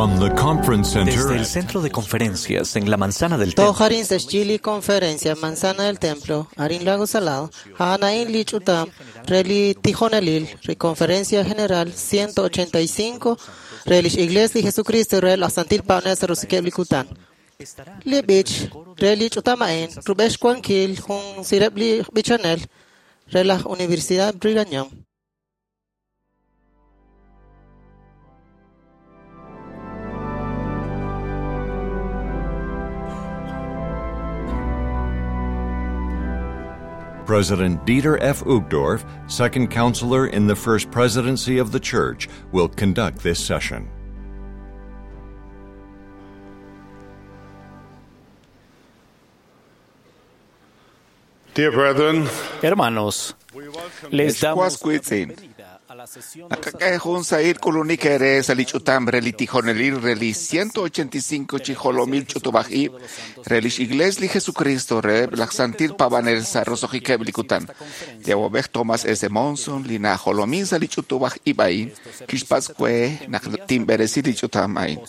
From the conference center Desde el centro de conferencias en la Manzana del Templo, Toharin Sechili Conferencia Manzana del Templo, Arin Lago Salado, Hanain Lichutam, Reli Tijonelil, Conferencia General 185, Relish Iglesia Jesucristo, Rel Asantil Paunes Rusikeblikután. Libich, Relich Utamain, Rubesh Cuanquil, Jun Sirebli Bichanel, Relaj Universidad Brigham Young. President Dieter F. Uchtdorf, second counselor in the First Presidency of the Church, will conduct this session. Dear brethren, Hermanos, les damos la Escuacuitzin. bienvenida a la sesión de Nakak'e jun sa'il k'ulunik ere sa li ch'utam re li tijonelil re li 185 chijolomil ch'utub'ajib' re lix Iglesia li Jesucristo re laj Santil Pavanel sa rosohikeb' li kutan. Li awab'ej Thomas S. Monson li najolomin sa li ch'utub'ajib' a'in kixpatz' we naq tinb'eresi li ch'utam a'in.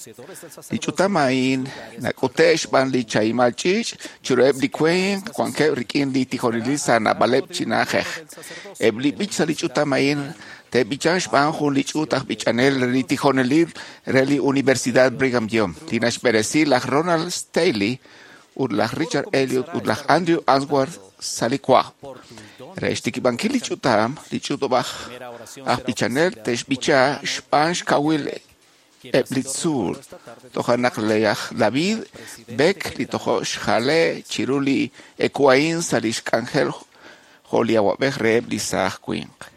Li ch'utam a'in nak'ute' xb'aan li chahimal ch'iich' chiruheb' li winq wankeb' rik'in li tijonelil sa naab'aleb' chi na'ajej. Eb' li b'ich sa li ch'utam a'in te'b'ichan xb'aan jun li ch'uut aj b'ichanel re li tijonelil re li Universidad Brigham Young li naxb'eresi laj Ronald Staley ut laj Richard Elliot ut laj Andrew Answorth sa li kwa. Re xtikib'ankil li ch'utam, li ch'utub'aj aj b'ichanel te'xb'icha xb'aan xkawil eb' li tzuul. Toja' naq laj David Beck li tojo' xjale chiru li ekuain sa li xk'anjel jo' li awab'ej reheb' li saaj winq.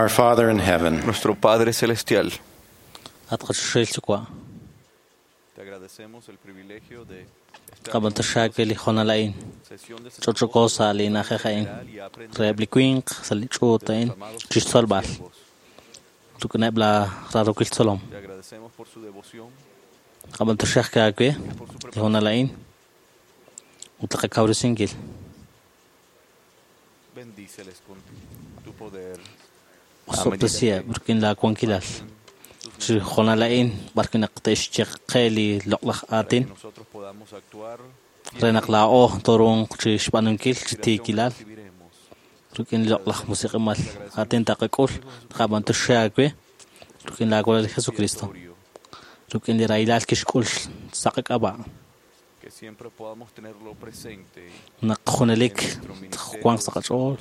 Our Father in heaven, Nuestro Padre Celestial, At qachuxel chukwa. te agradecemos. Qab'antoxaak li hoonal a'in ch'och'oko sa' li na'ajej a'in reheb' li winq sa' li ch'uut a'in chixtzolb'al rik'ineb' la raarokil tzolom. Qab'antoxaak aawe li hoonal a'in ut li qakawresinkil. Osob'tesiheb' rik'in laawankilal chi hoonal a'in b'arwi' naq te'xyeqe li loq'laj aatin re naq laa'o tooruuq chi xb'aanunkil chi tiikilal rik'in li loq'laj musiq'imal aatin taqak'ul taqab'antoxe aawe rik'in laawalal li Jesucristo rik'in li rahilal kixk'ul sa' qak'ab'a' naq junelik wanq sa' qach'ool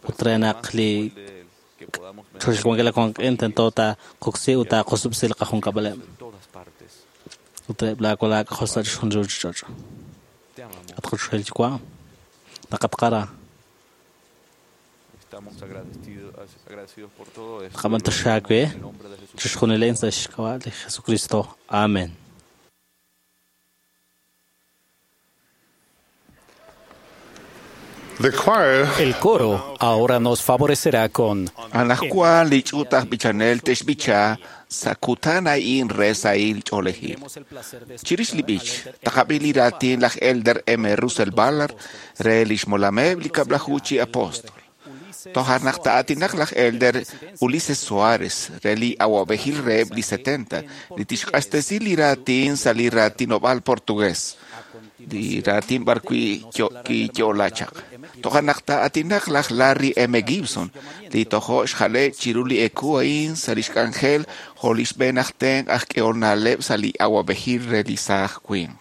ut re naq li choxil wankil tento taqoksi ut taqosub'si li qajunkab'aleb' ut reheb' laawalal aak'ajol sa' chixjunil ruuchich'och'. At qachoxahil Yuwa', naqatqara. Qab'antoxe aawe chixjunil a'in sa' xk'ab'a' li Jesucristo. Amen. El coro ahora nos favorecerá con Anajwan li ch'uut aj b'ichanel te'xb'icha sa' kutan a'in re sahil ch'oolejil. Chirix li b'ich, taqab'i li raatin laj Elder M. Russell Ballard re lix molameb' li kab'laju chi apóstol. Toja' naq ta'aatinaq laj Elder Ulises Soares re li awab'ejil reheb' li 70 li tixq'axtesi li raatin sa' li raatinob'aal portugués li raatin b'arwi' kiyo'la chaq. Toja' naq ta'aatinaq laj Larry M. Gibson li tojo' xjale' chiru li eku a'in sa' lix k'anjel jo' li xb'een aj tenq' aj k'ehol na'leb' sa' li awab'ejil re li saaj winq.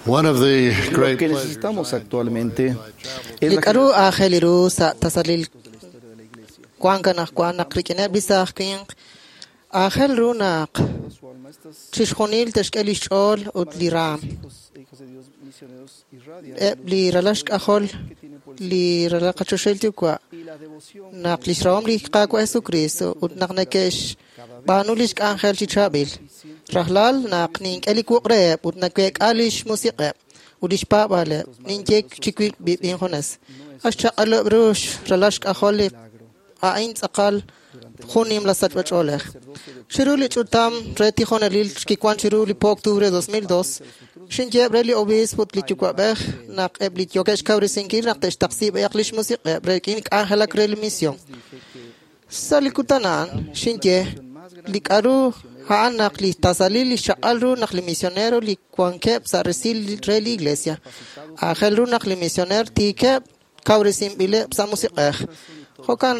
One of the Lo great que necesitamos actualmente es Li la k'aru aajel ru sa' tasalil wank anaqwan naq rik'ineb' li saaj winq aajel ru naq chixjunil te'xk'e li xch'ool ut li raam. hijos de Dios misioneros irradian Eb' li ralal xk'ajol li ralal qachoxahil yuwa' y la devoción naq lix rahom li Qaawa' Jesucristo ut naq neke'xb'aanu lix k'anjel chi chaab'il. Rajlal naq nink'e li wuq' reheb' ut naweek'a lix musiq'eb' ut lix paab'aaleb', ninye chi wib' injunes. Axchaq'aleb' ru ralal xk'ajol li a'in tz'aqal jun nimla sachb'ach'oolej. Chiru li ch'utam re tijonelil kiwan chiru li po octubre 2002, xinyeeb' re li obispo ut li yuwa'b'ej naq eb' li yookeb' xkawresinkil naq te'xtaqsi b'ayaq lix musiq'eb' re rik'in k'anjelak re li misión. Sa' li kutan a'an, xinye li k'aru a'an naq li tasalil li xchaq'al ru naq li misionero li wankeb' sa' resil re li iglesia. Aajel ru naq li misioner tiikeb' kawresinb'ileb' sa' musiq'ej. Jo'kan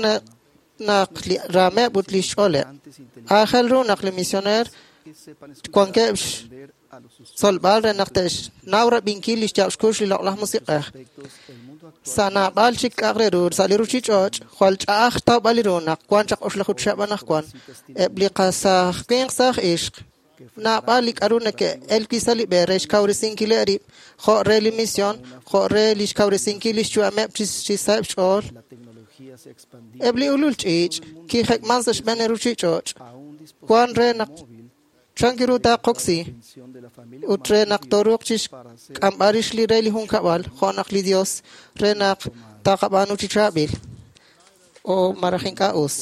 naq li raameb' ut li xch'ooleb'. Aajel ru naq li misioner que sepan escuchar wankeb' y responder a los xtzolb'al re naq te'xnaw rab'inkil li xyaab' xkux li loq'laj musiq'ej. aspectos el mundo actual Sa' naab'al chik k'a'aq re ru sa' li ruchich'och' jwal ch'a'aj xtawb'al li ru naq wan chaq oxlaju chihab' anaqwan. Eb' li qasaaj winq saaj ixq naab'al li k'aru neke'el wi' sa' li b'e re xkawresinkileb' rib' jo' re li misión, jo' re li xkawresinkil li xyu'ameb' chi saheb' xch'ool. la tecnología se ha expandido Eb' li ulul ch'iich' kijek'man sa' xb'een li ruchich'och' a un dispositivo wan re naq móvil chan ru taaqoksi atención de la familia ut re naq tooruuq chi para hacer xk'amb'al rix li re li junkab'al jo' naq li Dios re naq taqab'aanu chi chaab'il o maraj ink'a' us.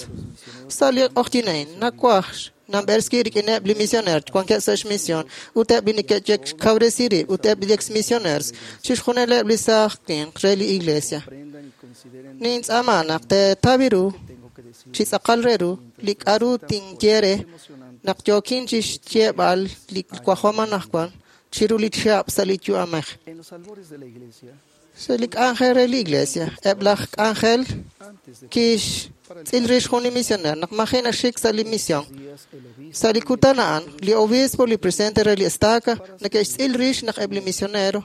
Sa' li q'oqyink a'in nawaj namb'erski rik'ineb' li misioner wankeb' sa' xmisión ut eb' li neke'xkawresi rib' ut eb' li ex-misioneros chixjunileb' li saaj winq re li iglesia. aprendan y consideren Nintz'aama naq teetawi ru tengo que decir chi tz'aqal re ru li k'aru tinye re naq yookin chi xyeeb'al li wajom anaqwan chiru li chihab' sa' li yu'amej. en los albores de la iglesia Sa' li k'anjel re li iglesia, eb' laj k'anjel antes de kixtz'il rix jun li misioner naq maji' naxik sa' li misión. días el obispo Sa' li kutan a'an, li obispo li presidente re li estaca neke'xtz'il rix naq eb' li misionero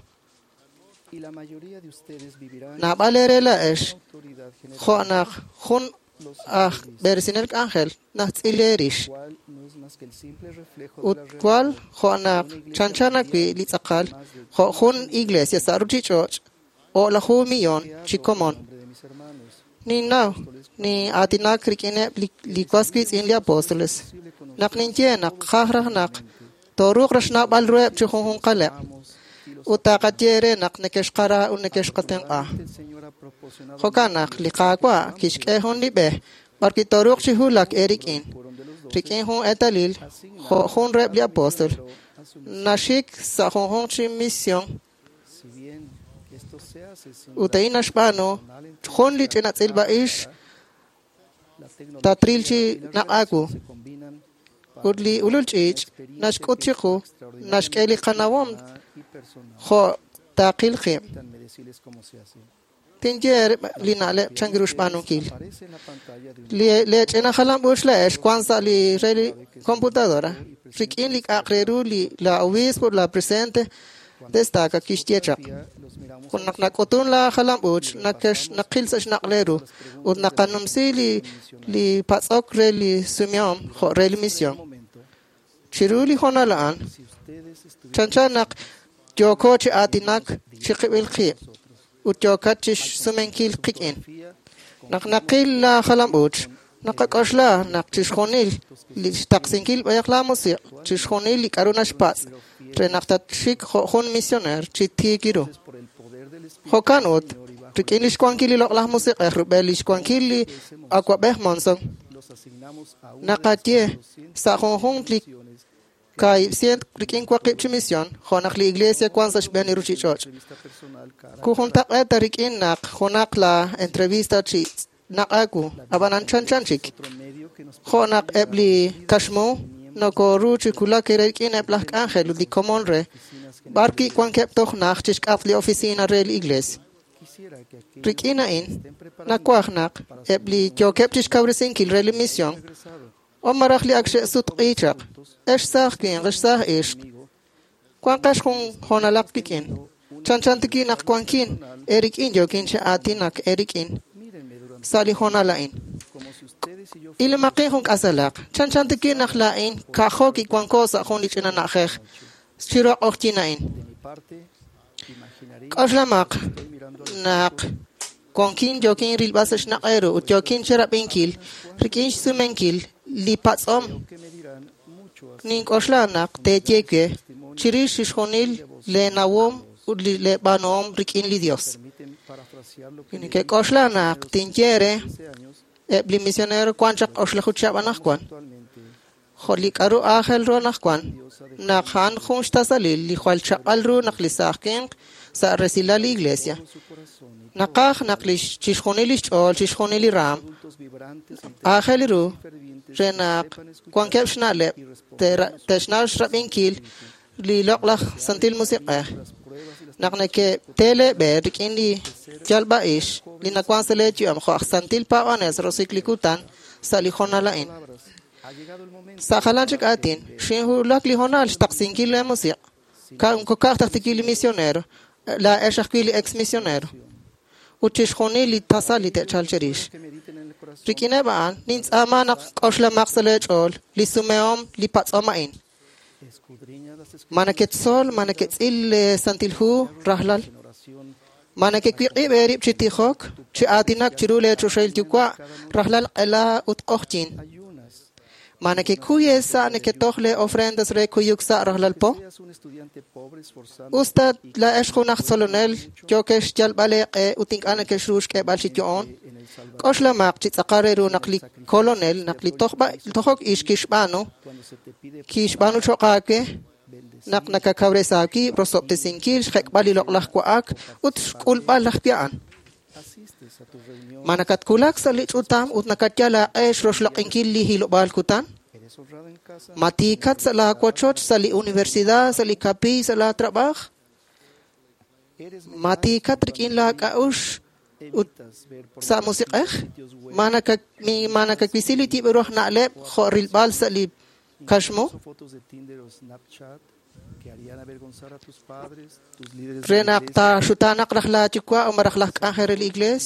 y la mayoría de ustedes vivirán naab'al eere laa'ex autoridad general jo' naq jun aj b'eresinel k'anjel najtz'il eerix. cual no es más que el simple reflejo de Ut la realidad cual jo' naq chanchan wi' li tz'aqal jo' jun iglesia sa' ruchich'och' o'laju millón chi komon. nombre de mis hermanos Ninnaw ni aatinak rik'ineb' li was wiitz'in li apóstoles. Naq ninye naq qaj raj naq tooruuq raj xnawb'al ruheb' chi junjunqaleb' ut taqaye re naq neke'xqara ut neke'xqatenq'a. el Señor ha proporcionado Jo'kan naq li Qaawa' kixk'e jun li b'e b'arwi' tooruuq chi hulak eerik'in rik'in jun eetalil jo' jun reheb' li apóstol naxik sa' junjunq chi misión si bien esto se hace sin ut a'in naxb'aanu jun li ch'ina tz'ilb'a'ix la tecnología tatril chi y las naq'aku redes se combinan para ut li ulul ch'iich' naxk'ut chiqu naxk'e li qanawom y personal jo' taqil qib'. Permítanme decirles cómo se hace. Tinye li na'leb' chan ru xb'aanunkil. Aparece en la pantalla de un Li le ch'ina jalam'uuch la'ex wan sa' li re li computadora rik'in li k'a'aq re ru li la obispo la presidente destaca kixye chaq. los miramos Ut naq nak'utun la jalam'uuch naqil sa' xnaq' ru ut naqanumsi li patz'ok re li sumihom jo' re li misión. momento Chiru li hoonal a'an si ustedes estuvieran chanchan naq yooko chi aatinak chi qib'il qib' ut yookat chi xsumenkil qik'in. Naq naqil la jalam'uuch naqak'oxla naq chixjunil li xtaqsinkil b'ayaq la musiq' chixjunil li k'aru naxpatz' re naq tatxik jo' jun misioner chi tiik ru. por el poder del Espíritu Jo'kan ut rik'in li xwankil li loq'laj musiq'ej rub'el li xwankil li awa'b'ej Monson los asignamos a una naqaye sa' junjunq li 900 rik'in waqib' chi misión jo' naq li iglesia wan sa' xb'een li ruchich'och'. entrevista personal cara Kujuntaq'eeta rik'in naq junaq la entrevista chi naq'aku ab'anan chanchan chik. otro medio que nos Jo' naq eb' li kaxmu nokoru chi wulak rik'in eb' laj k'anjel ut li komon re b'arwi' wankeb' toj naj chi xk'atq li oficina re li iglesia. quisiera que aquellos Rik'in a'in nawaj naq eb' li yookeb' chi xkawresinkil re li misión o maraj li ak xe'sutq'i chaq ex saaj winq ex saaj ixq Wanqex jun hoonalaq wik'in. Chanchan tiki naq wankin eerik'in yookin chi aatinak eerik'in sa' li hoonal a'in. Ilomaqin jun k'asalaq. Chanchan tiki naq laa'in ka'jo kiwanko sa' jun li ch'ina na'ajej chiru q'oqyin a'in. K'oxlamaq naq wankin yookin rilb'al sa' xnaq' eeru ut yookin chirab'inkil rik'in xsumenkil li patz'om. Nink'oxla naq teeye we chirix chixjunil leenawom ut li leeb'aanuhom rik'in li Dios. Neke'k'oxla naq tinye re eb' li misionero wan chaq oxlaju chihab' anaqwan. Jo' li k'aru aajel ru anaqwan, naq a'an jun xtasalil li jwal chaq'al ru naq li saaj winq sa' resilal li Iglesia. Naqaj naq chixjunil li xch'ool, chixjunil li raam, aajel ru re naq wankeb' xna'leb' te'xnaw xrab'inkil li loq'laj Santil Musiq'ej. Naq neke'te leeb'e rik'in li yalb'a'ix li nawan sa' leeyu'am jo' aj Santil Paab'anel sa' roso'jik li kutan sa' li hoonal a'in. Sa' jalan chik aatin, xinwulak li hoonal xtaqsinkil leemusiq'. Ka'aj taj tikil li misionero, laa'ex ajwi' li ex misionero. Ut chixjunil li tasal li te'chalq cherix. Rik'ineb' a'an, nintz'aama naq k'oxlamaq sa' leech'ool li sumehom li patz'om a'in. Ma neketzol, ma neketz'il le Santil Hu rajlal. Ma nekewiq'ib' eerib' chi tijok, chi aatinak chiru leechoxahil yuwa' rajlal q'ela ut q'oqyin. Ma nekekuy eesa' neketoj le ofrendas re kuyuk sa' rajlal po. Usta laa'ex jun aj tzolonel yookex xyalb'al eeq'e ut ink'a' nekexru xk'eeb'al chi yo'on. K'oxlamaq chi tz'aqal re ru naq li kolonel, naq li tojok ix kixb'aanu, kixb'aanu cho'q aawe naq nakakawresi aawib' rosob'tesinkil xjek'b'al li loq'laj wa'ak ut xk'ulb'al laj a'an. Ma nakatwulak sa' li ch'utam ut nakatyal aaq'e xroxloq'inkil li hilob'aal kutan? Ma tiikat sa' laawochoch, sa' li universidad, sa' li kapiiy, sa' laatrab'aaj? Ma tiikat rik'in laak'a'uxl ut sa' musiq'ej? Ma nakawisi li yib'ru aj na'leb' jo' rilb'al sa' li kaxmu? Re naq taaxutaanaq raj laayuwa' o malaj laj k'anjel re li iglees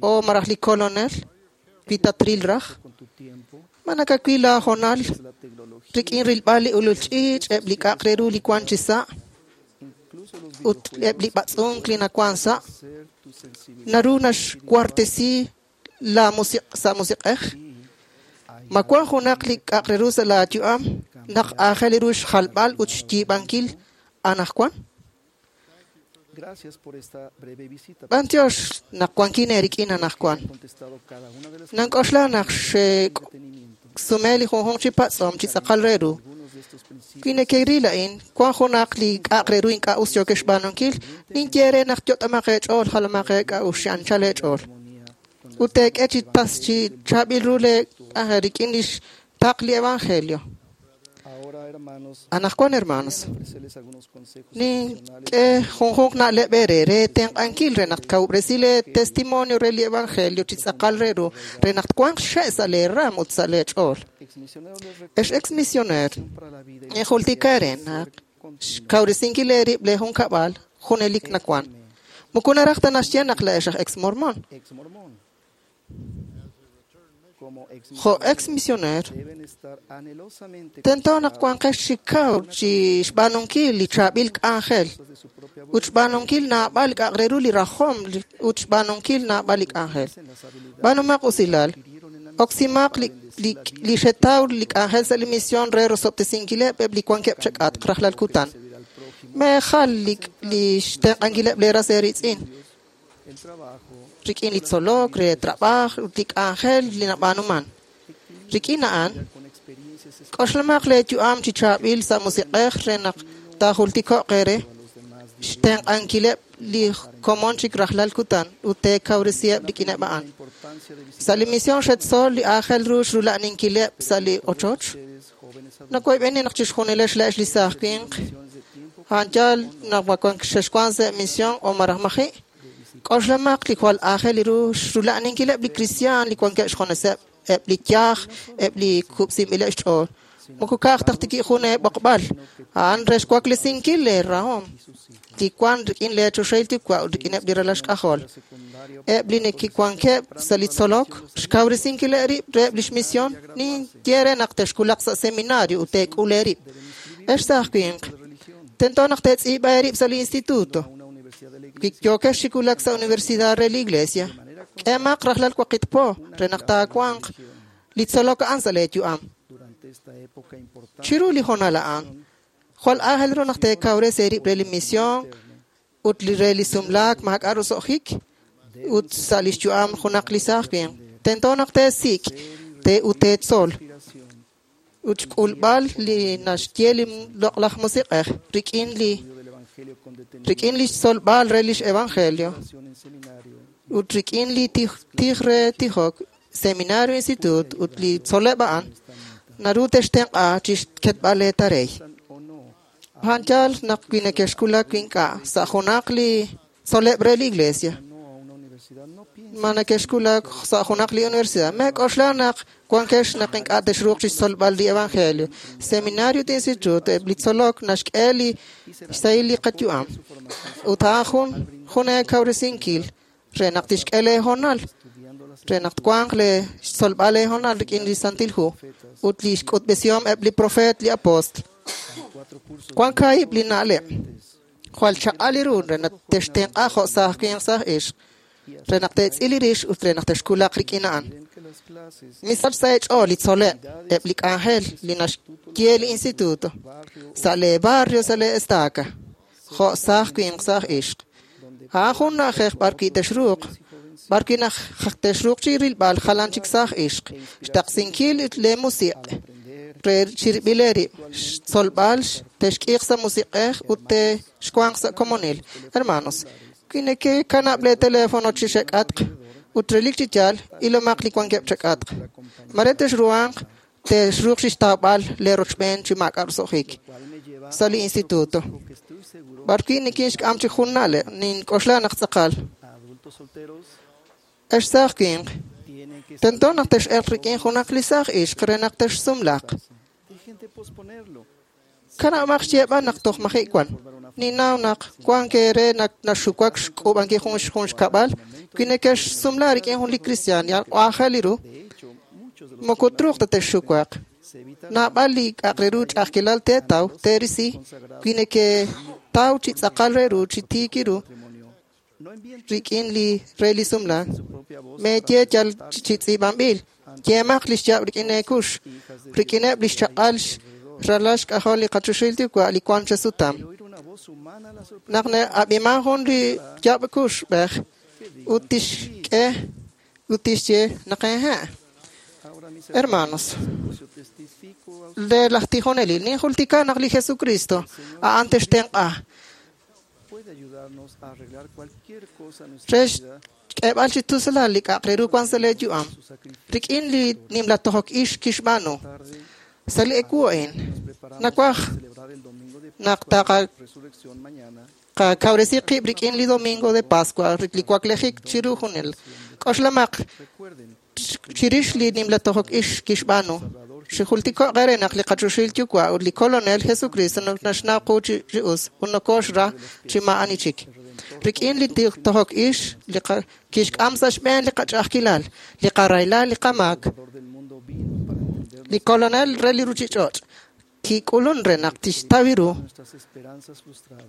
o malaj li kolonel wi tatril raj? Ma nakawil laahoonal rik'in rilb'al li ulul ch'iich', eb' li k'a'aq re ru li wan chi sa' ut eb' li b'atz'unk li nawan sa'? Naru naxwartesi la sa' musiq'ej? Ma wan junaq li k'a'aq re ru sa' laayu'am naq aajel ru xjalb'al ut xyiib'ankil anaqwan? B'antiox naq wankin eerik'in anaqwan. Nank'oxla naq xe'sume li junjunq chi patz'om chi tz'aqal re ru. Wi nekeril a'in, wan junaq li k'a'aq re ru ink'a' us yookex xb'aanunkil, ninye re naq yot'omaq eech'ool, jalomaq eek'a'uxl, chi anchal eech'ool. Ut teek'e chi tas chi chaab'il ru lee k'anjel rik'in lix taql li evangelio. Anaqwan, hermanos, nink'e junjunq na'leb' eere re tenq'ankil re naq tkawub'resi lee testimonio re li evangelio chi tz'aqal re ru re naq twanq xe' sa' lee raam ut sa' lee ch'ool. Ex ex-misioneer, ninjultika eere naq xkawresinkil eerib' lee junkab'al junelik nawan. Moko naraj ta naxye naq laa'ex aj ex-mormon. Jo' ex-misioneer, tento naq wanqex chi kaw chi xb'aanunkil li chaab'il k'anjel ut xb'aanunkil naab'al li k'a'aq re ru li rajom ut xb'aanunkil naab'al li k'anjel. B'aanumaq usilal, oksimaq li xetaw li k'anjel sa' li misión re rosob'tesinkileb' eb' li wankeb' chak'atq rajlal kutan. Meejal li xtenq'ankileb' leeras eeritz'in rik'in li tzolok, re trab'aaj ut li k'anjel li nab'aanuman. Rik'in a'an, k'oxlamaq leeyu'am chi chaab'il sa' musiq'ej re naq taajultiko'q eere xtenq'ankileb' li komon chik rajlal kutan ut teekawresiheb' rik'ineb' a'an. Sa' li misión xetzol li aajel ru xrula'aninkileb' sa' li ochoch. Nawoyb'eni naq chixjunilex laa'ex li saaj winq a'an yaal naq xexwan sa' misión o malaj maji'. K'oxlamaq li jwal aajel ru xrula'aninkileb' li kristiaan li wankeb' xjuneseb', eb' li yaj, eb' li kub'sinb'ileb' xch'ool. Moko ka'aj taj tiki jun eeb'oqb'al, a'an re xwaklesinkil leerahom li wank rik'in leechoxahil Yuwa' ut rik'ineb' li ralal xk'ajol. Eb' li neke'wankeb' sa' li tzolok, xkawresinkil eerib' reheb' lix misión, ninye re naq texwulaq sa' seminario ut teek'ul eerib'. Ex saaj winq, tento naq teetz'iib'a eerib' sa' li instituto. Wi yookex chi wulak sa' universidad re li iglesia, k'eemaq rajlal waqib' po re naq taawanq li tzolok a'an sa' leeyu'am. Chiru li hoonal a'an, jwal aajel ru naq teekawresi eerib' re li misión ut li re li sumlaak maak'a' roso'jik ut sa' lix yu'am junaq li saaj winq. Tento naq teesik' ut teetzol ut xk'ulb'al li naxye li loq'laj musiq'ej rik'in li xtzolb'al re lix evangelio ut rik'in li tij re tijok, seminario, instituto ut li tzoleb' a'an naru textenq'a chixketb'al leetarey. A'an yaal naq wi nekexwulak ink'a' sa' junaq li tzoleb' re li iglesia, ma nekexwulak sa' junaq li universidad, meek'oxla naq wankex naq ink'a' texruuq chixtzolb'al li evangelio. Seminario ut instituto eb' li tzolok naxk'e li xsahil li qayu'am ut a'an jun eekawresinkil re naq tixk'e leehoonal re naq twanq le xtzolb'al leehoonal rik'in li Santil Hu ut li xk'utb'esihom eb' li profeet li apóstol. Wank kaahib' li na'leb' jwal chaq'al li ru re naq textenq'a jo' saaj winq saaj ixq re naq teetz'il li rix ut re naq texwulaq rik'in a'an. Misach sa' eech'ool li tzoleb' eb' li k'anjel li naxye li instituto sa' lee barrio sa' lee estaca jo' saaj winq saaj ixq. A'an jun na'ajej b'ar wi' texruuq b'ar wi' naq texruuq chi rilb'al jalan chik saaj ixq xtaqsinkil lee musiq' re chirib'il eerib' xtzolb'al texk'iiq sa' musiq'ej ut texwanq sa' komonil. Hermanos, wi nekekanab' lee teléfono chi xek'atq ut relik chi yaal ilomaq li wankeb' chek'atq. Mare texruhanq texruuq chixtawb'al leerochb'een chi maak'a' roso'jik sa' li instituto. B'ar wi' nikinxk'am chi jun na'leb' nink'oxla naq tz'aqal. Ex saaj winq, tento naq tex'elq rik'in junaq li saaj ixq re naq texsumlaaq. Kanab'aq xyeeb'al naq toj maji' wan. Ninnaw naq wank eere naq naxuwak xk'uub'ankil jun xkab'al wi nekexsumla rik'in jun li cristian yal aajel li ru, moko truuq ta texxuwaq. Naab'al li k'a'aq re ru ch'a'ajkilal teetaw teerisi wi neketaw chi tz'aqal re ru chi tiik ru rik'in li re li sumlaak. Meeye yal chi tz'iib'anb'il, yeemaq li xyaab' rik'in eekux, rik'ineb' li xchaq'al ralal xk'ajol li qachoxahil Yuwa' li wank chesutam. Naq na'ab'iman jun li yaab' kuxb'ej ut tixk'e ut tixye naq hehe'. Hermanos, le laj tijonelil ninjultika naq li Jesucristo a'an textenq'a re xk'eeb'al chi tusulal li k'a'aq re ru wank sa' leeyu'am rik'in li nimla tojok ix kixb'aanu. Sa' li ewu a'in nawaj naq taqakawresi qib' rik'in li domingo de Pascua li waklejik chiru junel. K'oxlamaq chirix li nimla tojok ix kixb'aanu. Xijultiko'q eere naq li qachoxahil Yuwa' ut li Kolonel Jesucristo naxnaw qu chi us ut nokoxra chi maa'ani chik. Rik'in li tojok ix li kixk'am sa' xb'een li qach'a'ajkilal, li qarahilal, li qamaak, li Kolonel re li ruchich'och' kik'ulun re naq tixtaw ru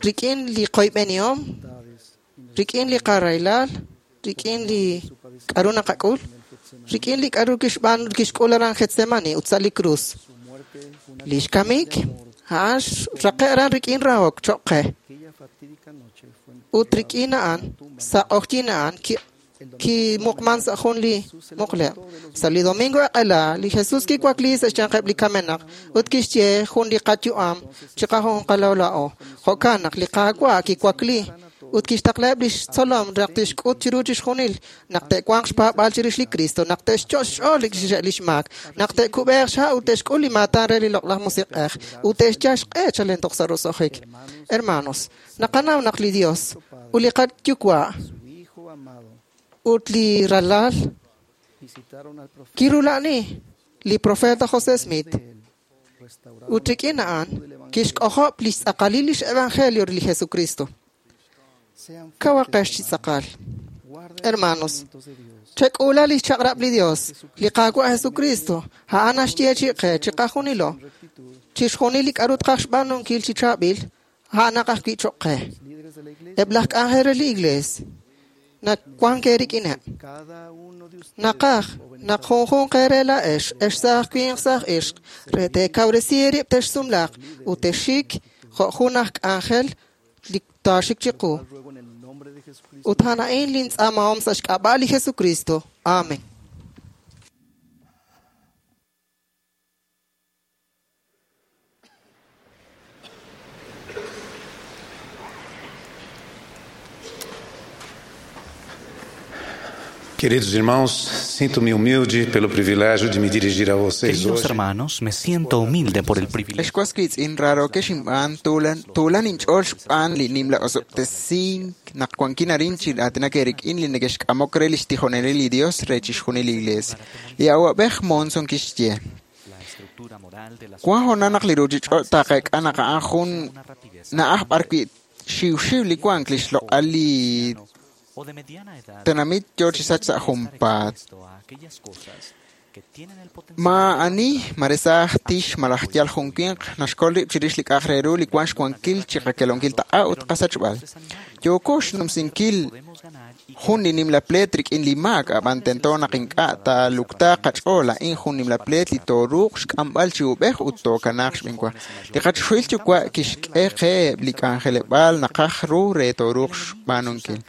rik'in li qoyb'enihom, rik'in li qarahilal, rik'in li k'aru naqak'ul, rik'in li k'aru kixb'aanu kixk'ul aran Getsemani ut sa' li krus. Li xkamik a'an xraqe' aran rik'in rahok choq' qe. Ut rik'in a'an sa' q'oqyink a'an kimuqman sa' jun li muqleb'. Sa' li domingo eq'ela, li Jesus kiwakli sa' xyanqeb' li kamenaq ut kixye jun li qayu'am chiqajunqalo laa'o. Jo'kan naq li Qaawa' kiwakli ut kixtaqlaheb' lix tzolom naq tixk'ut chiru chixjunil naq te'wanq xpaab'aal chirix li Cristo, naq te'xcho' xch'ool lix maak, naq te'kub'eeq xha' ut te'xk'ul li maatan re li loq'laj musiq'ej ut te'xyal xq'e chalen toj sa' roso'jik. Hermanos, naqanaw naq li Dios ut li qaYuwa' ut li ralal kirula'ani li profeta José Smith. Ut rik'in a'an kixk'ojob' lix tz'aqalil lix evangelio li Jesucristo. Kawaqex chi tz'aqal. Hermanos, chek'uula lix chaq'rab' li Dios, li Qaawa' Jesucristo, a'an naxye chiqe chiqajunilo, chixjunil li k'a'ru tqaj xb'aanunkil chi chaab'il, a'anaq ajwi' choq' qe. Eb' laj k'anjel re li Iglees nawank eerik'ineb'. Naqaj naq junjunq eere laa'ex, ex saaj winq saaj ixq, re teekawresi eerib' texsumlaaq ut texxik jo' jun aj k'anjel li taaxik chiqu. Ut a'an a'in lintz'aamahom sa' xk'ab'a' li Jesucristo. Amen. Queridos irmãos, sinto-me humilde pelo privilégio de me dirigir a vocês Queridos hoje. hermanos, me siento humilde por el privilegio. Ex was wiitz'in raarokex inb'aan tuulan inch'ool xb'aan li nimla osob'tesink naq wankin arin chi aatinak eerik'in li neke'xk'amok re lix tijonelil li Dios re chixjunil li Iglees. Li awa'b'ej Monson kixye: Wan hoonal naq li ruchich'och' taqeek'a naq a'an jun na'aj b'arwi' xiwxiw li wank li xloq'al li tenamit yo chi sach sa' junpaat. Maa'ani maresaaj tix malaj yal jun winq naxkol rib' chirix li k'a'aq re ru li wan xwankil chi qakelonkil taq'a ut qasachb'al. Yooko xnumsinkil jun li nimla pleet rik'in li maak, ab'an tento naq ink'a' taaluktaaq qach'ool. A'in jun nimla pleet li tooruuq xk'amb'al chi ub'ej ut tookanaaq xb'eenwa. Li qachoxahil Yuwa' kixk'e qe eb' li k'anjeleb'aal naqaj ru re tooruuq xb'aanunkil.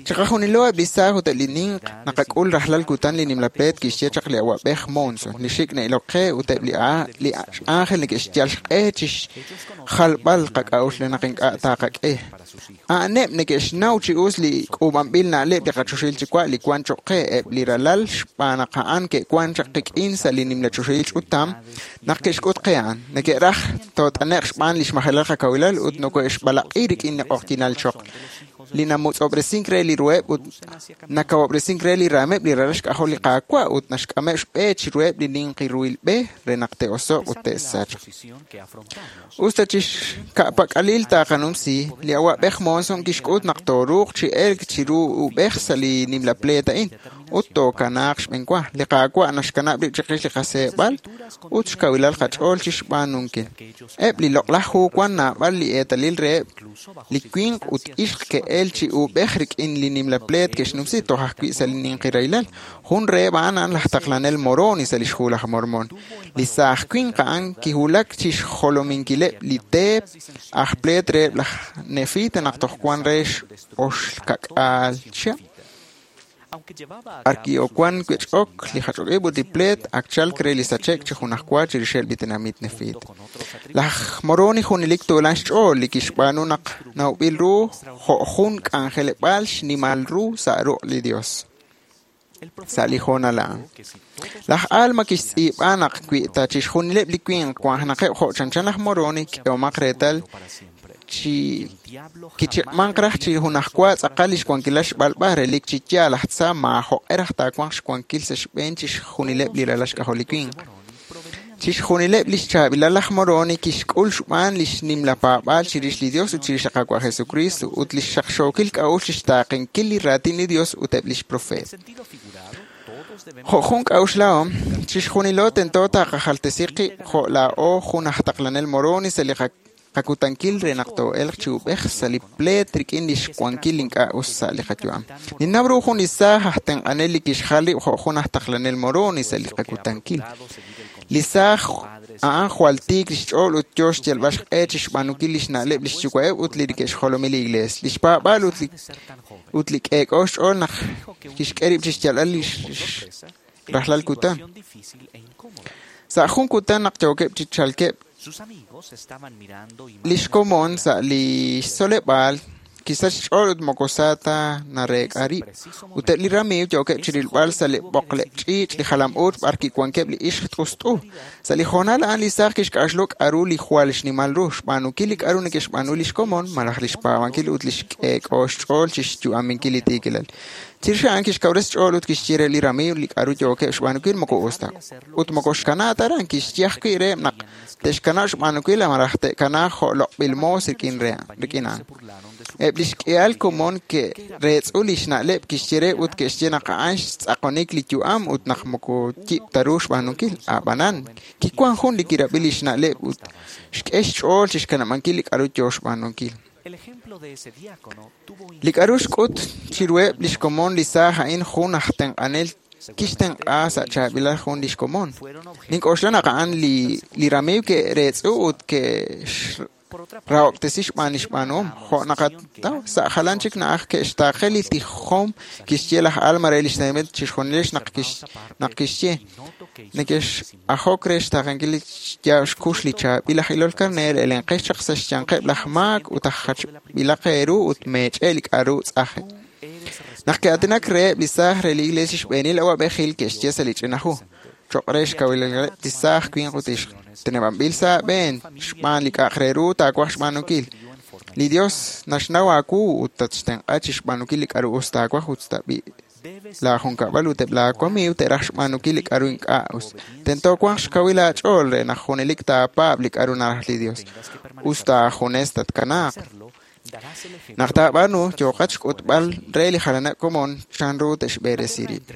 Chiqajunilo eb' li saaj ut eb' li ninq naqak'ul rajlal kutan li nimla pleet kixye chaq li awa'b'ej Monson, li xik' na'ilok qe ut eb' li ángel neke'xyal xq'e chi xjalb'al qak'a'uxl re naq ink'a' taqak'e. A'aneb' neke'xnaw chi us li k'uub'anb'il na'leb' li qachoxahil Yuwa' li wan choq' qe eb' li ralal xb'aan naq a'an ke'wan chaq qik'in sa' li nimla choxahil ch'utam naq ke'xk'ut qe a'an. Neke'raj toot'ane'q xb'aan li xmajelal qakawilal ut noko'exb'alaq'i rik'in li q'oqyinal choql li namutz'ob'resink re li ruheb' ut nakawob'resink re li raameb' li ralal xk'ajol li Qaawa' ut naxk'ameb' xb'e chiruheb' li ninqi ruhil b'e re naq te'oso'q ut te'sachq. Us ta chixka'pak'alil taqanumsi, li awa'b'ej Monson kixk'ut naq tooruuq chi elk chiru ub'ej sa' li nimla pleet a'in ut tookanaaq xb'eenwa. Li Qaawa' naxkanab' rib' chiqix li qaseeb'al ut xkawilal qach'ool chixb'aanunkil. Eb' li loq'laj hu wan naab'al li eetalil reheb' li winq ut ixq ke'el chi ub'ej rik'in li nimla pleet ke'xnumsi toj ajwi' sa' li ninqi rahilal. Jun reheb' a'an a'an laj taqlanel Moroni sa' lix hu laj Mormon. Li saaj winq a'an kiwulak chi xjolominkileb' li teep aj pleet reheb' laj Nefita naq toj wan re oxkak'aal chihab'. Arki'owan wech'ok li jach'ok ib' ut li pleet ak chalk re li sache'k chi junajwa chirixeb' li tenamit Nefita. Laj Moroni junelik tuulan xch'ool li kixb'aanu naq nawb'il ru jo' jun k'anjeleb'aal xnimal ru sa' ruq' li Dios. Sa' li hoonal a'an. Laj Alma kixtz'iib'a naq wi ta chixjunileb' li winq wanjenaqeb' jo' chanchan laj Moroni, k'ehomaq reetal chi kichiq'manq raj chi junajwa tz'aqal lix wankilal xb'alb'a relik chi yaal laj tza maajoq'e raj taawanq xwankil sa' xb'een chixjunileb' li ralal xk'ajol li winq. Chixjunileb' lix chaab'ilal laj Moroni kixk'ul xb'aan lix nimla paab'aal chirix li Dios ut chirix li Qaawa' Jesucristo ut lix xaqxookil k'a'uxl chixtaaqenkil li raatin li Dios ut eb' lix profeet. Jo' jun k'a'uxlahom, chixjunilo tento taqajaltesi qib' jo' laa'o jun aj taqlanel Moroni sa' li qakutankil re naq too'elq chi ub'ej sa' li pleet rik'in lix wankil ink'a' us sa' li qayu'am. Ninnaw ru jun li saaj aj tenq'anel li kixjal rib' jo' jun aj taqlanel Moroni sa' li qakutankil. Li saaj a'an jwal tiik lix ch'ool ut yo xyalb'al xq'e chixb'aanunkil lix na'leb' lix yuwa'eb' ut li neke'xjolomi li Iglees. Lix paab'aal ut li k'eek'o xch'ool naq kixk'e rib' chixyalb'al lix rajlal kutan. Sa' jun kutan naq yookeb' chi chalkeb' lix komon sa' li xtzoleb'aal kisach xch'ool ut moko sa ta nareek'a rib'. Ut eb' li ramiiw yookeb' chirilb'al sa' li b'oqleb' ch'iich' li jalam-uuch b'ar kiwankeb' li ixq t'ust'u. Sa' li hoonal a'an li saaj kixk'a'uxlu k'a'ru li jwal xnimal ru, xb'aanunkil li k'a'ru neke'xb'aanu lix komon malaj lix paab'ankil ut lix k'eek'o xch'ool chixyu'aminkil li tiikilal. Chirix a'an kixkawresi xch'ool ut kixye re li ramiiw li k'a'ru yookeb' xb'aanunkil moko us ta. Ut moko xkana ta aran, kixye ajwi' reheb' naq te'xkanab' xb'aanunkil malaj te'kanaaq jo' loq'b'il moos rik'in a'an. Eb' li xk'ihal komon ke'reetz'u li xna'leb' kixye re ut ke'xye naq a'an xtz'aqonik li yu'am ut naq moko yib' ta ru xb'aanunkil. A'b'anan, kiwan jun li kirab'i li xna'leb' ut xk'e xch'ool chixkanab'ankil li k'a'ru yoo xb'aanunkil. Li k'a'ru xk'ut chiruheb' lix komon li saaj a'in jun aj tenq'anel kixtenq'a sa' chaab'ilal jun lix komon. Nink'oxla naq a'an li ramiiw ke'reetz'u ut ke'rahob'tesi xb'aan li xb'aanuhom. Jo' naqataw sa' jalan chik na'aj ke'xtaaqe li tijom kixye laj Alma re lix tenamit chixjunilex naq kixye neke'x'ajok re xtaaqenkil li xyaab' xkux li chaab'il aj ilol karneer elenqex chaq sa' xyanqeb' laj maak ut aj jachb'ilaq eeru ut meech'e li k'a'ru tz'aje. Naq ke'aatinak reheb' li saaj re li iglesia xb'eenil awa'b'ejil ke'xye sa' li ch'ina hu cho'q re xkawilaleb' li saaj winq ut ixq. Teneb'anb'il sa' aab'een xb'aan li k'a'aq re ru taawaj xb'aanunkil. Li Dios naxnaw aawu ut tatxtenq'a chixb'aanunkil li k'a'ru us taawaj ut tab'i laa junkab'al ut eb' laa wamiiw te'raj xb'aanunkil li k'a'ru ink'a' us. Tento wanq xkawil aach'ool re naq junelik taapaab' li k'a'ru naraj li Dios. Us taajunes tatkanaaq. Naq taab'aanu yooqat xk'utb'al re li jalaneb' komon chanru te'xb'eresi rib'.